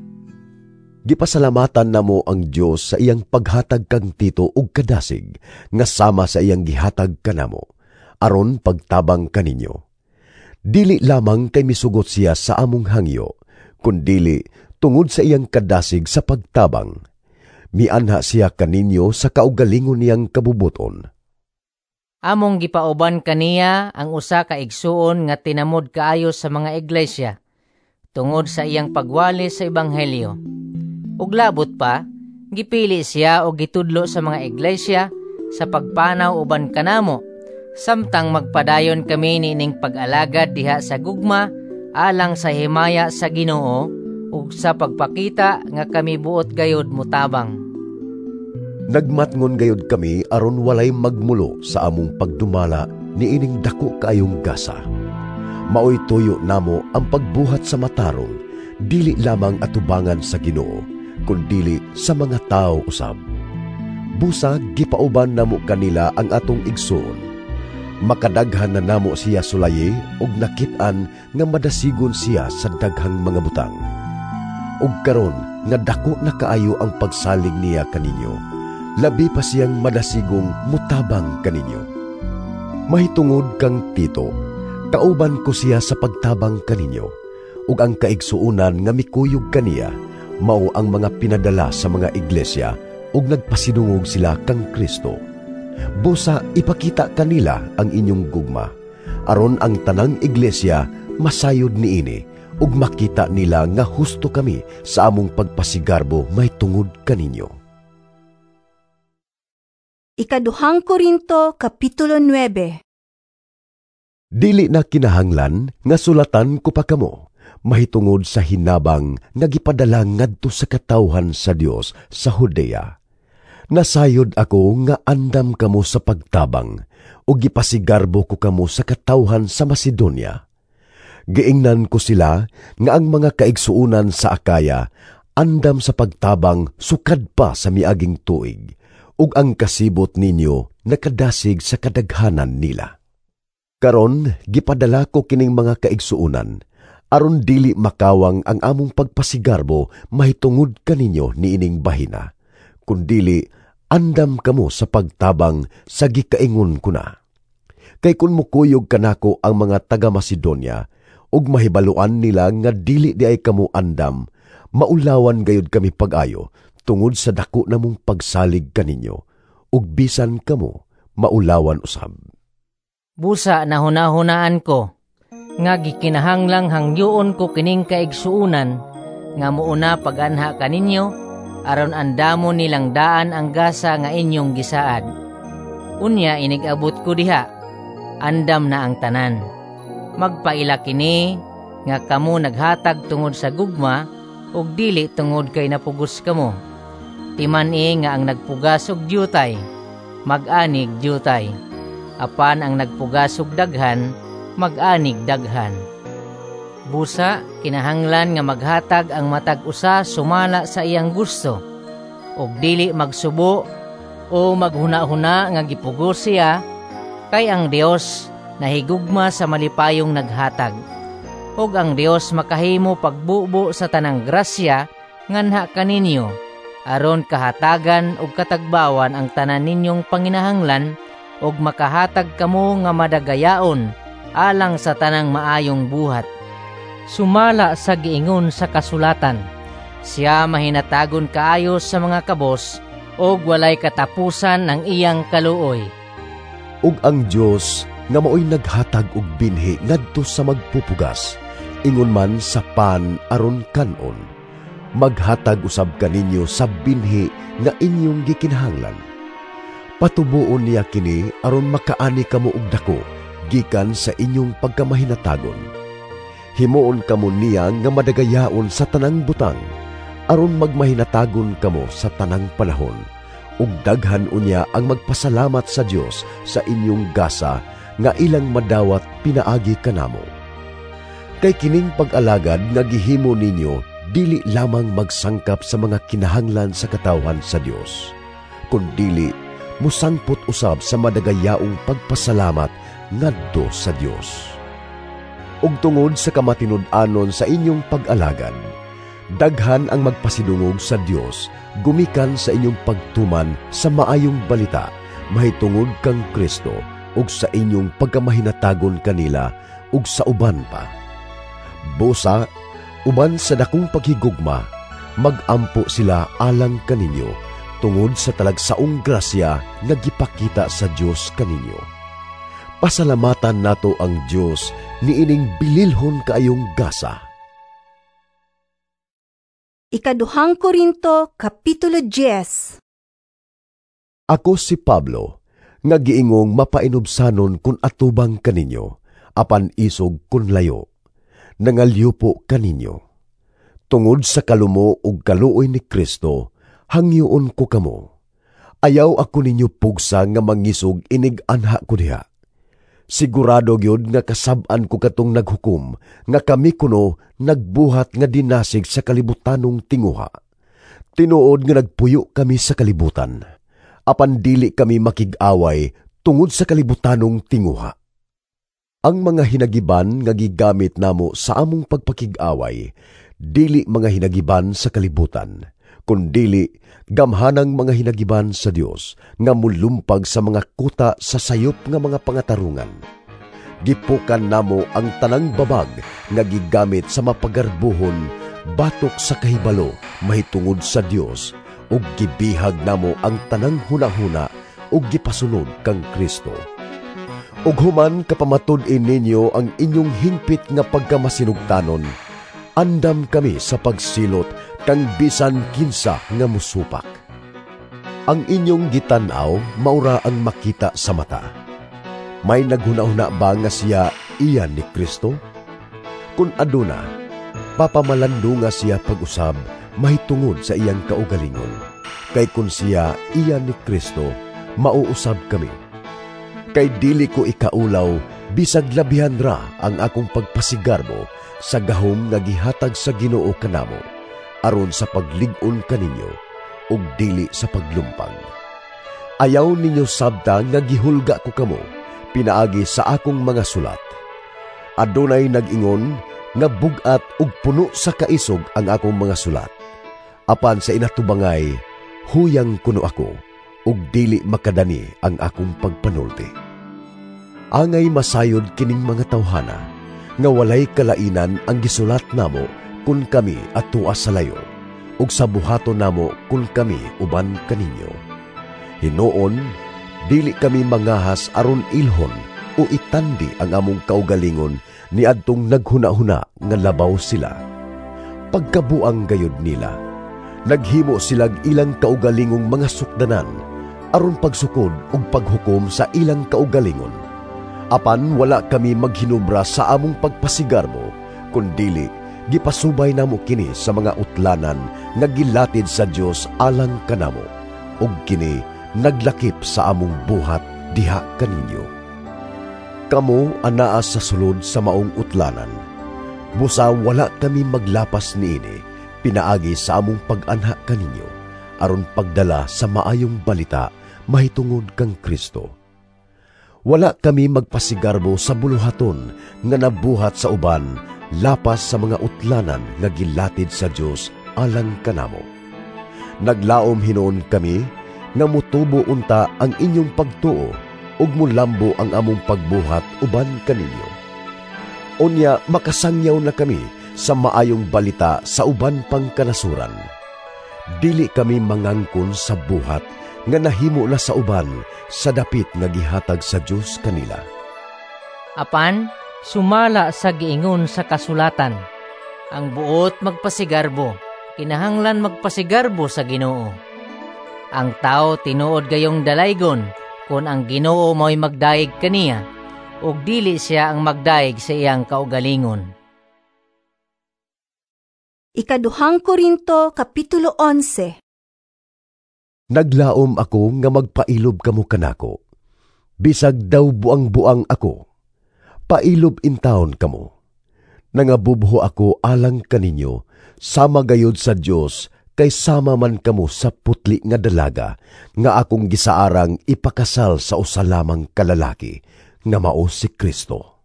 Gipasalamatan namo ang Dios sa iyang paghatag kang Tito ug kadasig nga sama sa iyang gihatag kanamo, aron pagtabang kaninyo. Dili lamang kay misugot siya sa among hangyo, kundili tungod sa iyang kadasig sa pagtabang. Mianha siya kaninyo sa kaugalingon niyang kabubuton. Among gipauban kaniya ang usa ka igsuon nga tinamod kaayo sa mga iglesia, tungod sa iyang pagwali sa ebanghelyo. Ug labot pa, gipili siya og gitudlo sa mga iglesia sa pagpanaw uban kanamo, samtang magpadayon kami niining pag-alagad diha sa gugma alang sa himaya sa Ginoo ug sa pagpakita nga kami buot gayod mutabang. Nagmatngon gayod kami aron walay magmulo sa among pagdumala niining dako kaayong gasa. Maoy tuyo namo ang pagbuhat sa matarong, dili lamang atubangan sa Ginoo, kundili sa mga tao usab. Busa gipauban namo kanila ang atong igsoon. Makadaghan na namo siya sulayi og nakit-an nga madasigon siya sa daghang mga butang. Og karon nga dako na kaayo ang pagsalig niya kaninyo, labi pa siyang madasigong mutabang kaninyo. Mahitungod kang Tito, kauban ko siya sa pagtabang kaninyo, ug ang kaigsuonan nga mikuyog kaniya mao ang mga pinadala sa mga iglesia ug nagpasidungog sila kang Kristo. Busa ipakita kanila ang inyong gugma, aron ang tanang iglesia masayod niini ug makita nila nga husto kami sa among pagpasigarbo mahitungod kaninyo. Ikaduhang Korinto, Kapitulo 9. Dili na kinahanglan nga sulatan ko pa kamo mahitungod sa hinabang nga gipadala ngadto sa katawhan sa Dios sa Judea. Nasayod ako nga andam kamo sa pagtabang ug gipasigarbo ko kamo sa katawhan sa Macedonia. Giingnan ko sila nga ang mga kaigsuonan sa Akaya andam sa pagtabang sukad pa sa miaging tuig, ug ang kasibot ninyo nakadasig sa kadaghanan nila. Karon gipadala ko kining mga kaigsuonan aron dili makawang ang among pagpasigarbo mahitungod kaninyo niining bahina, kundili andam kamo sa pagtabang sa gikaingon ko na. Kay kun mukuyog kanako ang mga taga Macedonia ug mahibaluan nila nga dili di ay kamo andam, maulawan gayud kami pag-ayo tungod sa dako namong pagsalig kaninyo, ug bisan kamo maulawan usab. Busa nahunahunaan ko nga gikinahanglang hangyoon ko kining kaigsuonan nga muuna paganha kaninyo aron andamo nilang daan ang gasa nga inyong gisaad. Unya inig-abot ko diha, andam na ang tanan. Magpaila kini nga kamo naghatag tungod sa gugma ug dili tungod kay napugos kamo. Timan-i nga ang nagpugas og diutay, mag-anig diutay. Apan ang nagpugas og daghan, mag-anig daghan. Busa, kinahanglan nga maghatag ang matag usa sumala sa iyang gusto, ug dili magsubo o maghuna-huna nga gipugos siya, kay ang Dios nahigugma sa malipayong naghatag. Ug ang Dios makahimo pagbubo sa tanang grasya nganha kaninyo, aron kahatagan ug katagbawan ang tanan ninyong panginahanglan, ug makahatag kamo nga madagayaon alang sa tanang maayong buhat. Sumala sa giingon sa kasulatan, siya mahinatagon kaayo sa mga kabos ug walay katapusan ang iyang kaluoy. Ug ang Dios nga maoy naghatag og binhi ngadto sa magpupugas, ingon man sa pan aron kan-on, maghatag usab kaninyo sa binhi nga inyong gikinahanglan. Patubuon niya kini aron makaani kamo og dako gikan sa inyong pagkamahinatagon. Himuon kamo niya nga madagayaon sa tanang butang aron magmahinatagon kamo sa tanang panahon, ug daghan unya ang magpasalamat sa Dios sa inyong gasa nga ilang madawat pinaagi kanamo. Kay kining pag-alagad nga gihimo ninyo dili lamang magsangkap sa mga kinahanglan sa katawhan sa Dios, kundili musangpot usab sa madagayaong pagpasalamat ngadto sa Dios. Ug tungod sa kamatinud-anon sa inyong pag-alagad, daghan ang magpasidungog sa Dios gumikan sa inyong pagtuman sa maayong balita mahitungod kang Kristo ug sa inyong pagkamahinatagon kanila ug sa uban pa. Busa, uban sa dakong paghigugma, magampo sila alang kaninyo tungod sa talagsaong grasya nga gipakita sa Dios kaninyo. Pasalamatan nato ang Dios niining bililhon kaayong gasa. Ikaduhang Korinto, Kapitulo 10. Ako si Pablo, nga giingong mapainubsanon kun atubang kaninyo, apan isog kun layo, nangalyupo kaninyo. Tungod sa kalumo ug kaluoy ni Kristo, hangyoon ko kamo. Ayaw ako ninyo pugsa nga mangisog inig anha ko diha. Sigurado gyud nga kasab-an ko katong naghukom nga kami kuno nagbuhat nga dinasig sa kalibutanong tinguha. Tinuod nga nagpuyo kami sa kalibutan, apan dili kami makig-away tungod sa kalibutanong tinguha. Ang mga hinagiban nga gigamit namo sa among pagpakig-away, dili mga hinagiban sa kalibutan, kundili gamhanang mga hinagiban sa Dios nga mulumpag sa mga kuta sa sayop nga mga pangatarungan. Gipukan namo ang tanang babag nga gigamit sa mapagarbuhon batok sa kahibalo mahitungod sa Dios, ug gibihag namo ang tanang hunahuna ug gipasunod kang Kristo. Ug human kapamatud-in ninyo ang inyong hingpit nga pagkamasinugtanon, andam kami sa pagsilot kang bisan kinsa nga musupak. Ang inyong gitan-aw maura ang makita sa mata. May naghuna-huna ba nga siya iyan ni Kristo? Kun aduna, papamalando nga siya pag-usab mahitungod sa iyang kaugalingon. Kay kun siya iyan ni Kristo, mauusab kami. Kay dili ko ikaulaw, bisag labihan ra ang akong pagpasigarbo sa gahom nga gihatag sa Ginoo kanamo, aron sa paglig-on kaninyo ug dili sa paglumpag. Ayaw ninyo sabta nga gihulga ko kamo pinaagi sa akong mga sulat. Adunay nag-ingon nga bug-at ug puno sa kaisog ang akong mga sulat. Apan sa inatubangay, huyang kuno ako ug dili makadani ang akong pagpanulti. Angay masayod kining mga tawhana nga walay kalainan ang gisulat namo kun kami atua sa layo, ug sa buhaton namo kun kami uban kaninyo. Hinuon, Dili kami mangahas aron ilhon o itandi ang among kaugalingon niadtong naghuna-huna nga labaw sila. Pagkabuang gayud nila, naghimo silag ilang kaugalingong mga sukdanan aron pagsukod ug paghukom sa ilang kaugalingon. Apan wala kami maghinubra sa among pagpasigarbo, kundili gipasubay namo kini sa mga utlanan nga gilatid sa Dios alang kanamo, ug kini naglakip sa among buhat diha kaninyo. Kamo anaa sa sulod sa maong utlanan. Busa wala kami maglapas niini pinaagi sa among pag-anha kaninyo aron pagdala sa maayong balita mahitungod kang Kristo. Wala kami magpasigarbo sa buluhaton nga nabuhat sa uban lapas sa mga utlanan nga gilatid sa Dios alang kanamo. Naglaom hinuon kami nga mutubo unta ang inyong pagtuo ug mulambo ang among pagbuhat uban kaninyo. Unya makasangyaw na kami sa maayong balita sa uban pang kanasuran. Dili kami mangangkon sa buhat nga nahimo na sa uban sa dapit nga gihatag sa Dios kanila. Apan sumala sa giingon sa kasulatan, ang buot magpasigarbo, kinahanglan magpasigarbo sa Ginoo. Ang tao tinuod gayong dalaygon kon ang Ginoo mao'y magdayeg kaniya, ug dili siya ang magdayeg sa iyang kaugalingon. Ikaduhang Korinto, Kapitulo 11. Naglaom ako nga magpailob kamo kanako. Bisag daw buang-buang ako, pailob intawon kamo. Nangabubho ako alang kaninyo, sama gayod sa Dios, kay sama man kamo sa putli nga dalaga, nga akong gisaarang ipakasal sa usa lamang ka lalaki, nga mao si Kristo.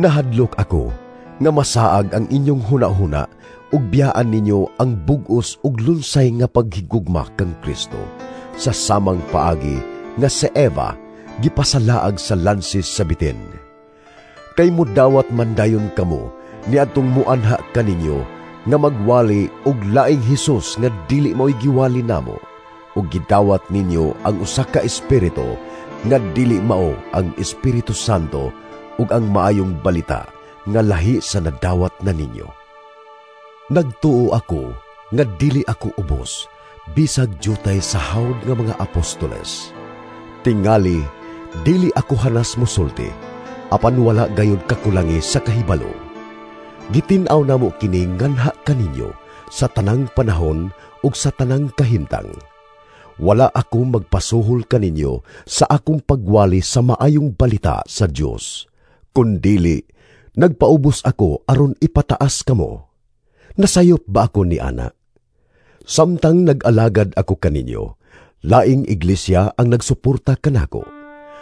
Nahadlok ako nga masaag ang inyong hunahuna ug biyaan ninyo ang bug-os ug lunsay nga paghigugma kang Kristo sa samang paagi nga si Eva gipasalaag sa lansis sa bitin. Kay mudawat man dayon kamo niadtong muanha kaninyo nga magwali og laing Hesus nga dili mao'y giwali namo, ug gidawat ninyo ang usa ka espiritu nga dili mao ang Espiritu Santo ug ang maayong balita nga lahi sa nadawat na ninyo. Nagtuo ako nga dili ako ubos, bisag jutay sa hawd nga mga apostoles. Tingali, dili ako hanas mosulti, apan wala gayud kakulangi sa kahibalo. Gitin-aw namo kini nganha kaninyo sa tanang panahon ug sa tanang kahimtang. Wala ako magpasuhol kaninyo sa akong pagwali sa maayong balita sa Dios, kundili nagpaubos ako aron ipataas kamo. Nasayop ba ako ni ana? Samtang nag-alagad ako kaninyo, laing iglesia ang nagsuporta kanako.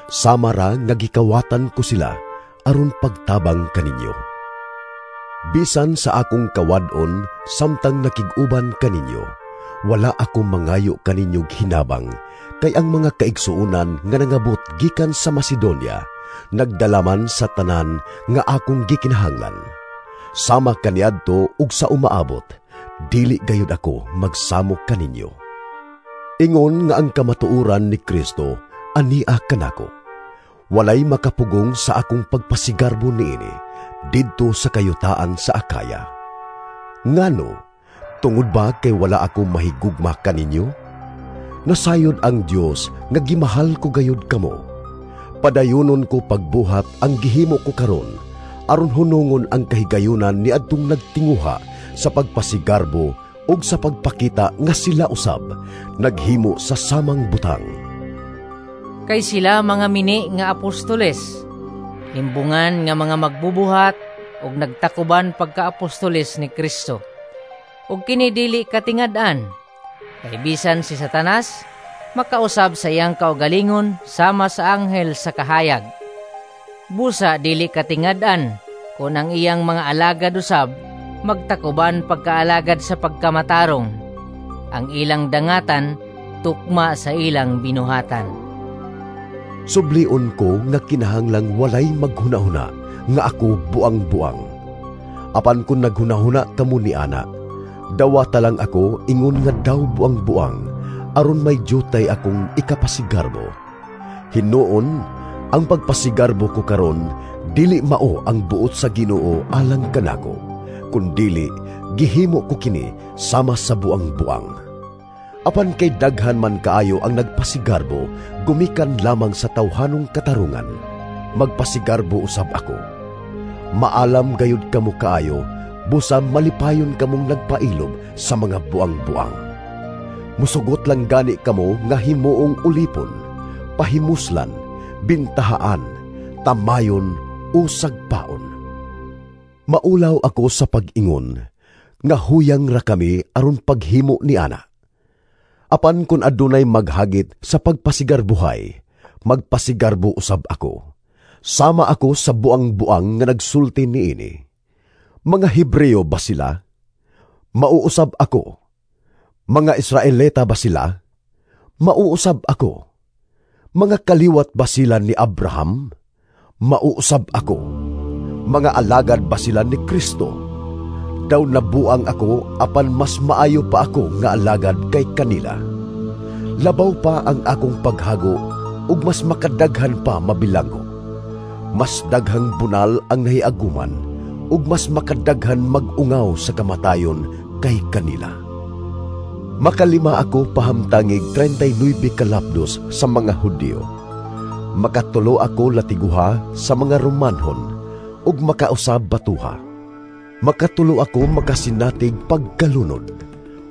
Sama ra nga gikawatan ko sila aron pagtabang kaninyo. Bisan sa akong kawad-on samtang nakig-uban kaninyo, wala ako mangayo kaninyo hinabang, kay ang mga kaigsuonan nga nangabot gikan sa Macedonia, nagdalaman sa tanan nga akong gikinahanglan. Sama kaniadto ug sa umaabot, dili gayud ako magsamok kaninyo. Ingon nga ang kamatuoran ni Kristo ania kanako. Walay makapugong sa akong pagpasigarbo niini didto sa kayutaan sa Akaya. Ngano, tungod ba kay wala ako mahigugma kaninyo? Nasayod ang Dios nga gimahal ko gayud kamo. Padayonon ko pagbuhat ang gihimo ko karon, aron hunungon ang kahigayunan ni adtong nagtinguha sa pagpasigarbo ug sa pagpakita nga sila usab naghimo sa samang butang. Kay sila mga mini nga apostoles, himbungan nga mga magbubuhat ug nagtakuban pagka-apostoles ni Kristo. Ug kini dili katingad-an, kay bisan si Satanas makausab sa iyang kaugalingon sama sa anghel sa kahayag. Busa dili katingad-an kon ang iyang mga alagad usab magtakuban pagkaalagad sa pagkamatarong. Ang ilang dangatan tukma sa ilang binuhatan. Sublion ko nga kinahanglang walay maghunahuna nga ako buang-buang. Apan kun naghunahuna kamo ni ana, dawata lang ako ingon nga daw buang-buang, aron may jutay akong ikapasigarbo. Hinuon, ang pagpasigarbo ko karon dili mao ang buot sa Ginoo alang kanako, kundili gihimo ko kini sama sa buang-buang. Apan kay daghan man kaayo ang nagpasigarbo gumikan lamang sa tawhanong katarungan, magpasigarbo usab ako. Maalam gayud kamo kaayo, busa malipayon kamong nagpailob sa mga buang-buang. Musugot lang gani kamo nga himuong ulipon, pahimuslan, bintahaan, tamayon o sagpaon. Maulaw ako sa pag-ingon, nga huyang ra kami aron paghimo ni ana. Apan kun adunay maghagit sa pagpasigarbuhay, magpasigarbo usab ako. Sama ako sa buang-buang nga nagsulti niini. Mga Hebreo ba sila? Mauusab ako. Mga Israelita ba sila? Mauusab ako. Mga kaliwat ba sila ni Abraham? Mauusab ako. Mga alagad ba sila ni Kristo? Daw nabuang ako, apan mas maayo pa ako nga alagad kay kanila. Labaw pa ang akong paghago, ug mas makadaghan pa mabilanggo. Mas daghang bunal ang nahiaguman, ug mas makadaghan mag-ungaw sa kamatayon kay kanila. Makalima ako pahamtangig 39 kalapdos sa mga Hudiyo. Makatulo ako latiguha sa mga Romanhon, ug makausab batuha. Makatulo ako makasinatig pagkalunod,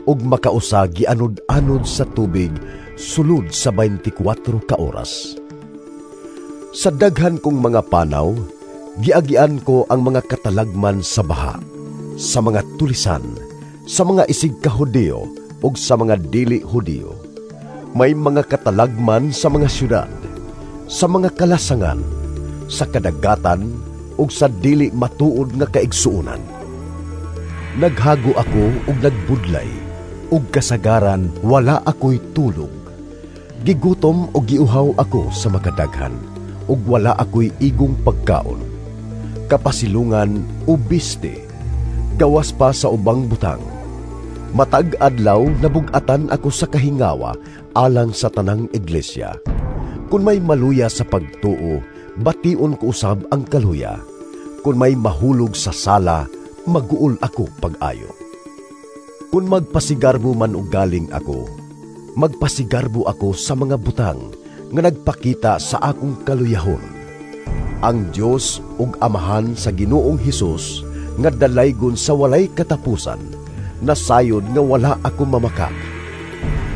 ug makausa gianod-anod sa tubig sulod sa 24 ka oras. Sa daghan kong mga panaw, giagian ko ang mga katalagman sa baha, sa mga tulisan, sa mga isig ka Hudiyo ug sa mga dili Hudiyo. May mga katalagman sa mga syudad, sa mga kalasangan, sa kadagatan ug sa dili matuod nga kaigsuonan. Naghago ako ug nagbudlay, ug kasagaran wala ako'y tulog. Gigutom ug giuhaw ako sa makadaghan, ug wala ako'y igong pagkaon. Kapasilungan o biste, gawas pa sa ubang butang. Matag adlaw nabugatan ako sa kahingawa alang sa tanang iglesia. Kun may maluya sa pagtuo, bation ko usab ang kaluya. Kun may mahulog sa sala, maguol ako pag-ayo. Kun magpasigarbo man og galing ako, magpasigarbo ako sa mga butang nga nagpakita sa akong kaluyahon. Ang Dios ug Amahan sa Ginoong Hesus nga dalaygon sa walay katapusan, nasayod nga wala ako mamakak.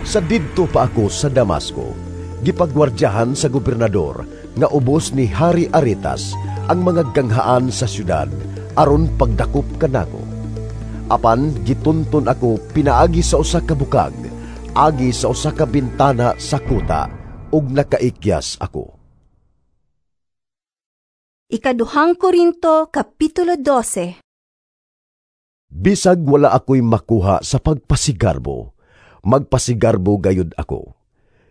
Sa didto pa ako sa Damasco, gipagwardyahan sa gobernador nga ubos ni Hari Aretas ang mga ganghaan sa syudad aron pagdakop kanako. Apan gitunton ako pinaagi sa usa ka bukag, agi sa usa ka bintana sa kuta, ug nakaikyas ako. Ikaduhang Korinto, Kapitulo 12. Bisag wala ako'y makuha sa pagpasigarbo, magpasigarbo gayud ako.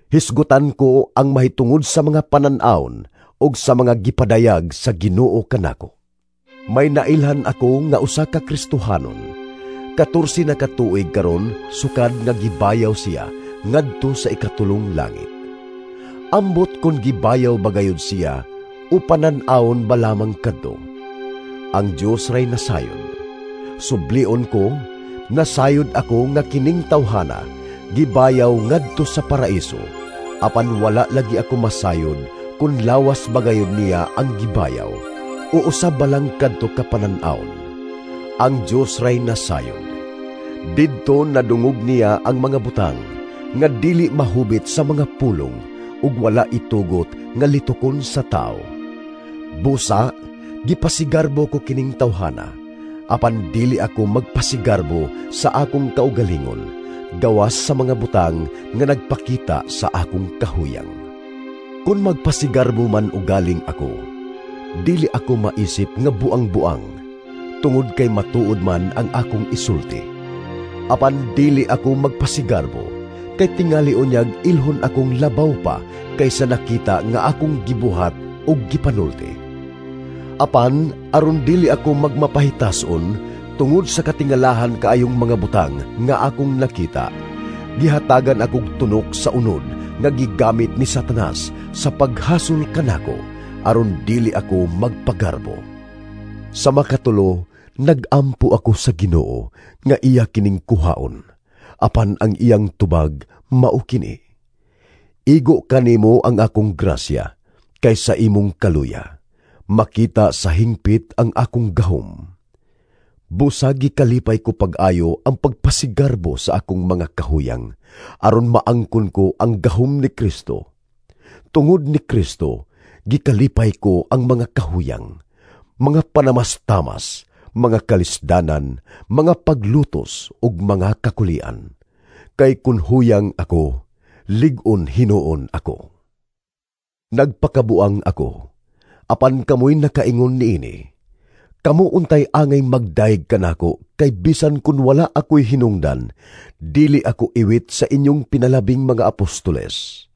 Hisgutan ko ang mahitungod sa mga panan-awon ug sa mga gipadayag sa Ginoo kanako. May nailhan ako nga usa ka Kristohanon. 14 na ka tuig karon sukad nga gibayaw siya ngadto sa ikatulong langit. Ambot kon gibayaw bagayod siya o panan-awon ba lamang kadto. Ang Dios ray nasayod. Sublion ko, nasayod ako nga kining tawhana gibayaw ngadto sa paraiso, apan wala lagi ako masayod kun lawas bagayod niya ang gibayaw o usab balang kadto ka panan-awon. Ang Dios ray nasayod. Didto nadungog niya ang mga butang nga dili mahubit sa mga pulong ug wala itugot nga litukon sa tao. Busa, gipasigarbo ko kining tawhana, apan dili ako magpasigarbo sa akong kaugalingon, gawas sa mga butang nga nagpakita sa akong kahuyang. Kung magpasigarbo man ugaling ako, dili ako maisip nga buang-buang, tungod kay matuod man ang akong isulti. Apan dili ako magpasigarbo, kay tingali unyag ilhon akong labaw pa kaysa nakita nga akong gibuhat og gipanulti. Apan aron dili ako magmapahitason tungod sa katingalahan kaayong mga butang nga akong nakita, gihatagan akong tunok sa unod nga gigamit ni Satanas sa paghasol kanako aron dili ako magpagarbo. Sa makatulo, nagampo ako sa Ginoo nga iya kining kuhaon, apan ang iyang tubag mao kini. Igo kanimo ang akong grasya kay sa imong kaluya makita sa hingpit ang akong gahom. Busag gikalipay ko pag-ayo ang pagpasigarbo sa akong mga kahuyang, aron maangkon ko ang gahom ni Kristo. Tungod ni Kristo, gikalipay ko ang mga kahuyang, mga panamastamas, mga kalisdanan, mga paglutos ug mga kakulian. Kay kun huyang ako, lig-on hinuon ako. Nagpakabuang ako, apan kamoy nakaingon niini. Kamo untay angay magdayeg kanako, kay bisan kun wala ako'y hinungdan, dili ako iwit sa inyong pinalabing mga apostoles.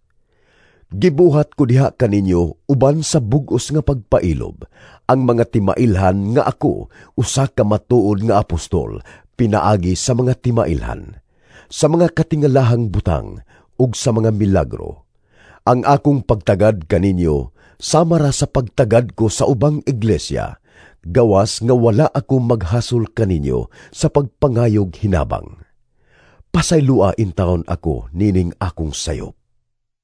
Gibuhat ko diha kaninyo uban sa bug-os nga pagpailob ang mga timailhan nga ako usa ka matuod nga apostol pinaagi sa mga timailhan, sa mga katingalahang butang ug sa mga milagro. Ang akong pagtagad kaninyo sama ra sa pagtagad ko sa ubang iglesia, gawas nga wala ako maghasol kaninyo sa pagpangayog hinabang. Pasaylua intawon ako nining akong sayop.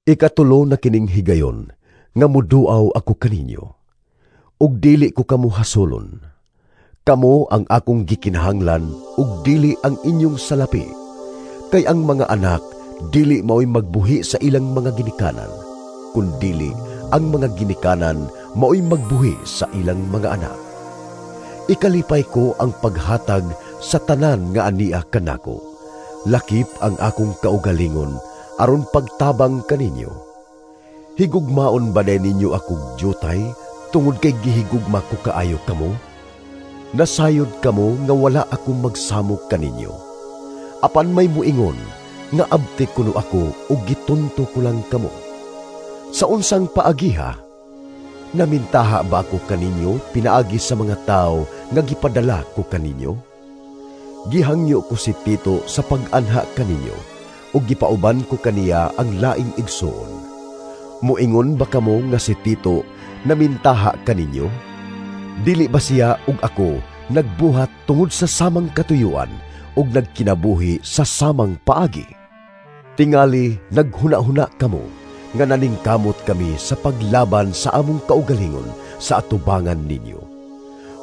Ikatulo na kining higayon nga muduaw ako kaninyo, ug dili ko kamo hasolon. Kamo ang akong gikinahanglan ug dili ang inyong salapi. Kay ang mga anak dili mao'y magbuhi sa ilang mga ginikanan, kundili ang mga ginikanan mao'y magbuhi sa ilang mga anak. Ikalipay ko ang paghatag sa tanan nga ania kanako. Lakip ang akong kaugalingon aron pagtabang kaninyo. Higugmaon ba ninyo akong jutay tungod kay gihigugma ko kaayo kamo? Nasayod kamo nga wala akong magsamok kaninyo. Apan may muingon nga abti kuno ako ug gitunto ko lang kamo. Sa unsang paagiha? Namintaha ba ako kaninyo pinaagi sa mga tao nga gipadala ko kaninyo? Gihangyo ko si Tito sa pag-anha kaninyo ug gipauban ko kaniya ang laing igsoon. Muingon ba kamo nga si Tito namintaha kaninyo? Dili ba siya ug ako nagbuhat tungod sa samang katuyuan ug nagkinabuhi sa samang paagi? Tingali naghuna-huna kamo nga naningkamot kami sa paglaban sa among kaugalingon sa atubangan ninyo.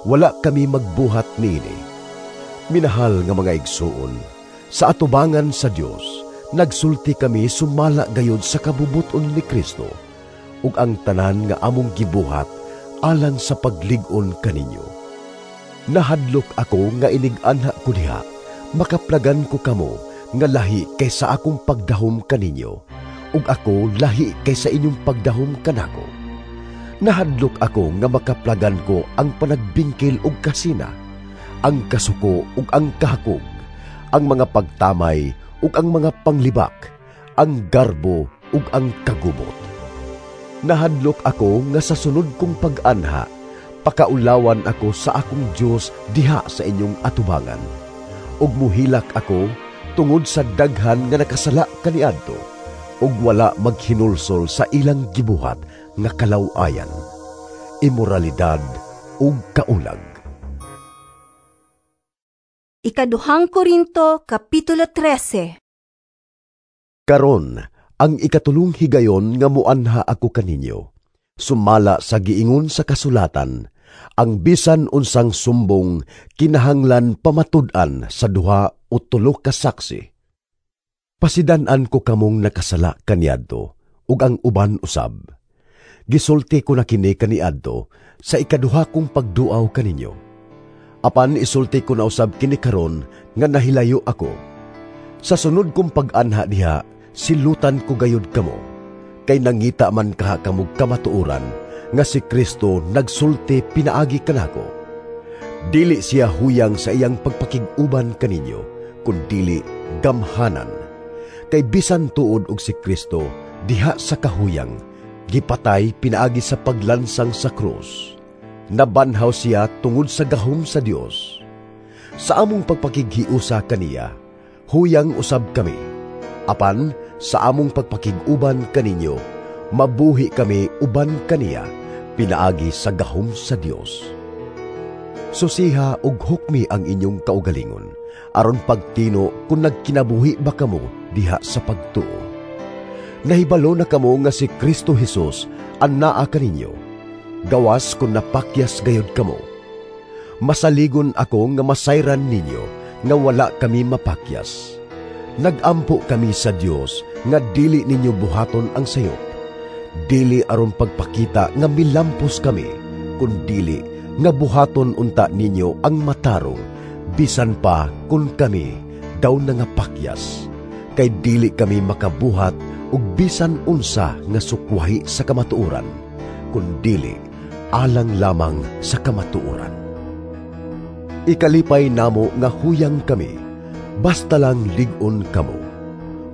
Wala kami magbuhat niini. Minahal nga mga igsoon, sa atubangan sa Dios, nagsulti kami sumala gayod sa kabubuton ni Kristo, ug ang tanan nga among gibuhat alang sa paglig-on kaninyo. Nahadlok ako nga inig-anha ko diha, makaplagan ko kamo nga lahi kaysa akong pagdahom kaninyo, ug ako lahi kaysa inyong pagdahom kanako. Nahadlok ako nga makaplagan ko ang panagbingkil ug kasina, ang kasuko ug ang kahakog, ang mga pagtamay ug ang mga panglibak, ang garbo ug ang kagubot. Nahadlok ako nga sa sunod kong pag-anha, pakaulawan ako sa akong Dios diha sa inyong atubangan. Ug muhilak ako tungod sa daghan nga nakasala kaniadto, ug wala maghinulsol sa ilang gibuhat nga kalaw-ayan, imoralidad ug kaulag. Ikaduhang Korinto, Kapitulo 13. Karon, ang ikatulong higayon nga muanha ako kaninyo, sumala sa giingon sa kasulatan, ang bisan unsang sumbong kinahanglan pamatud-an sa duha o tulo ka saksi. Pasidan-an ko kamong nakasala kaniadto ug ang uban usab. Gisulti ko na kini kaniadto sa ikaduha kong pagduaw kaninyo. Apan isulti ko na usab kini karon nga nahilayo ako. Sa sunod kong pag-anha diha, silutan ko gayud kamo, kay nangita man kaha kamog kamatuoran nga si Kristo nagsulti pinaagi kanako. Dili siya huyang sa iyang pagpakig-uban kaninyo, kundili gamhanan. Kay bisan tuod og si Kristo diha sa kahuyang, gipatay pinaagi sa paglansang sa krus. Nabanhaw siya tungod sa gahom sa Dios. Sa among pagpakighiusa kaniya, huyang usab kami. Apan sa among pagpakig-uban kaninyo, mabuhi kami uban kaniya, pinaagi sa gahom sa Dios. Susiha ug hukmi ang inyong kaugalingon, aron pagtino kung nagkinabuhi ba kamo diha sa pagtuo. Nahibalo na kamo nga si Kristo Jesus ang naa kaninyo, gawas kung napakyas gayod kamo. Masaligon ako nga masayran ninyo nga wala kami mapakyas. Nagampo kami sa Dios nga dili ninyo buhaton ang sayop. Dili aron pagpakita nga milampos kami, kun dili nga buhaton unta ninyo ang matarong, bisan pa kun kami daw nangapakyas. Kay dili kami makabuhat og bisan unsa nga sukwahi sa kamatuoran, kun dili alang lamang sa kamatuoran. Ikalipay namo nga huyang kami, basta lang lig-on kamo.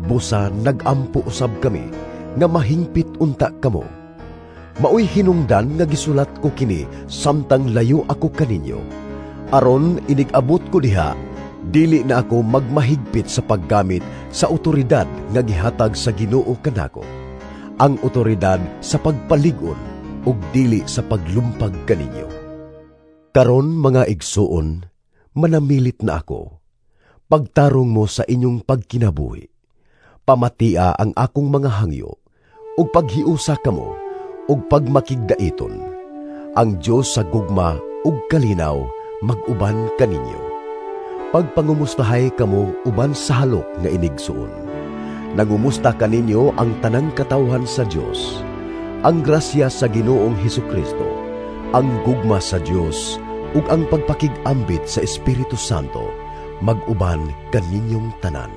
Busa nagampo usab kami nga mahingpit unta kamo. Maoy hinungdan nga gisulat ko kini samtang layo ako kaninyo. Aron inig-abot ko diha, dili na ako magmahigpit sa paggamit sa otoridad nga gihatag sa Ginoo kanako. Ang otoridad sa pagpalig-on ug dili sa paglumpag kaninyo. Karon mga igsuon, manamilit na ako. Pagtarong mo sa inyong pagkinabuhi. Pamatia ang akong mga hangyo, ug paghiusa kamo, ug pagmakigdaiton. Ang Dios sa gugma ug kalinaw mag-uban kaninyo. Pagpangumustahay kamo uban sa halok nga inigsuon. Nangumusta kaninyo ang tanang katawhan sa Dios. Ang grasya sa Ginoong Hesukristo, ang gugma sa Dios, ug ang pagpakig-ambit sa Espiritu Santo mag-uban kaninyong tanan.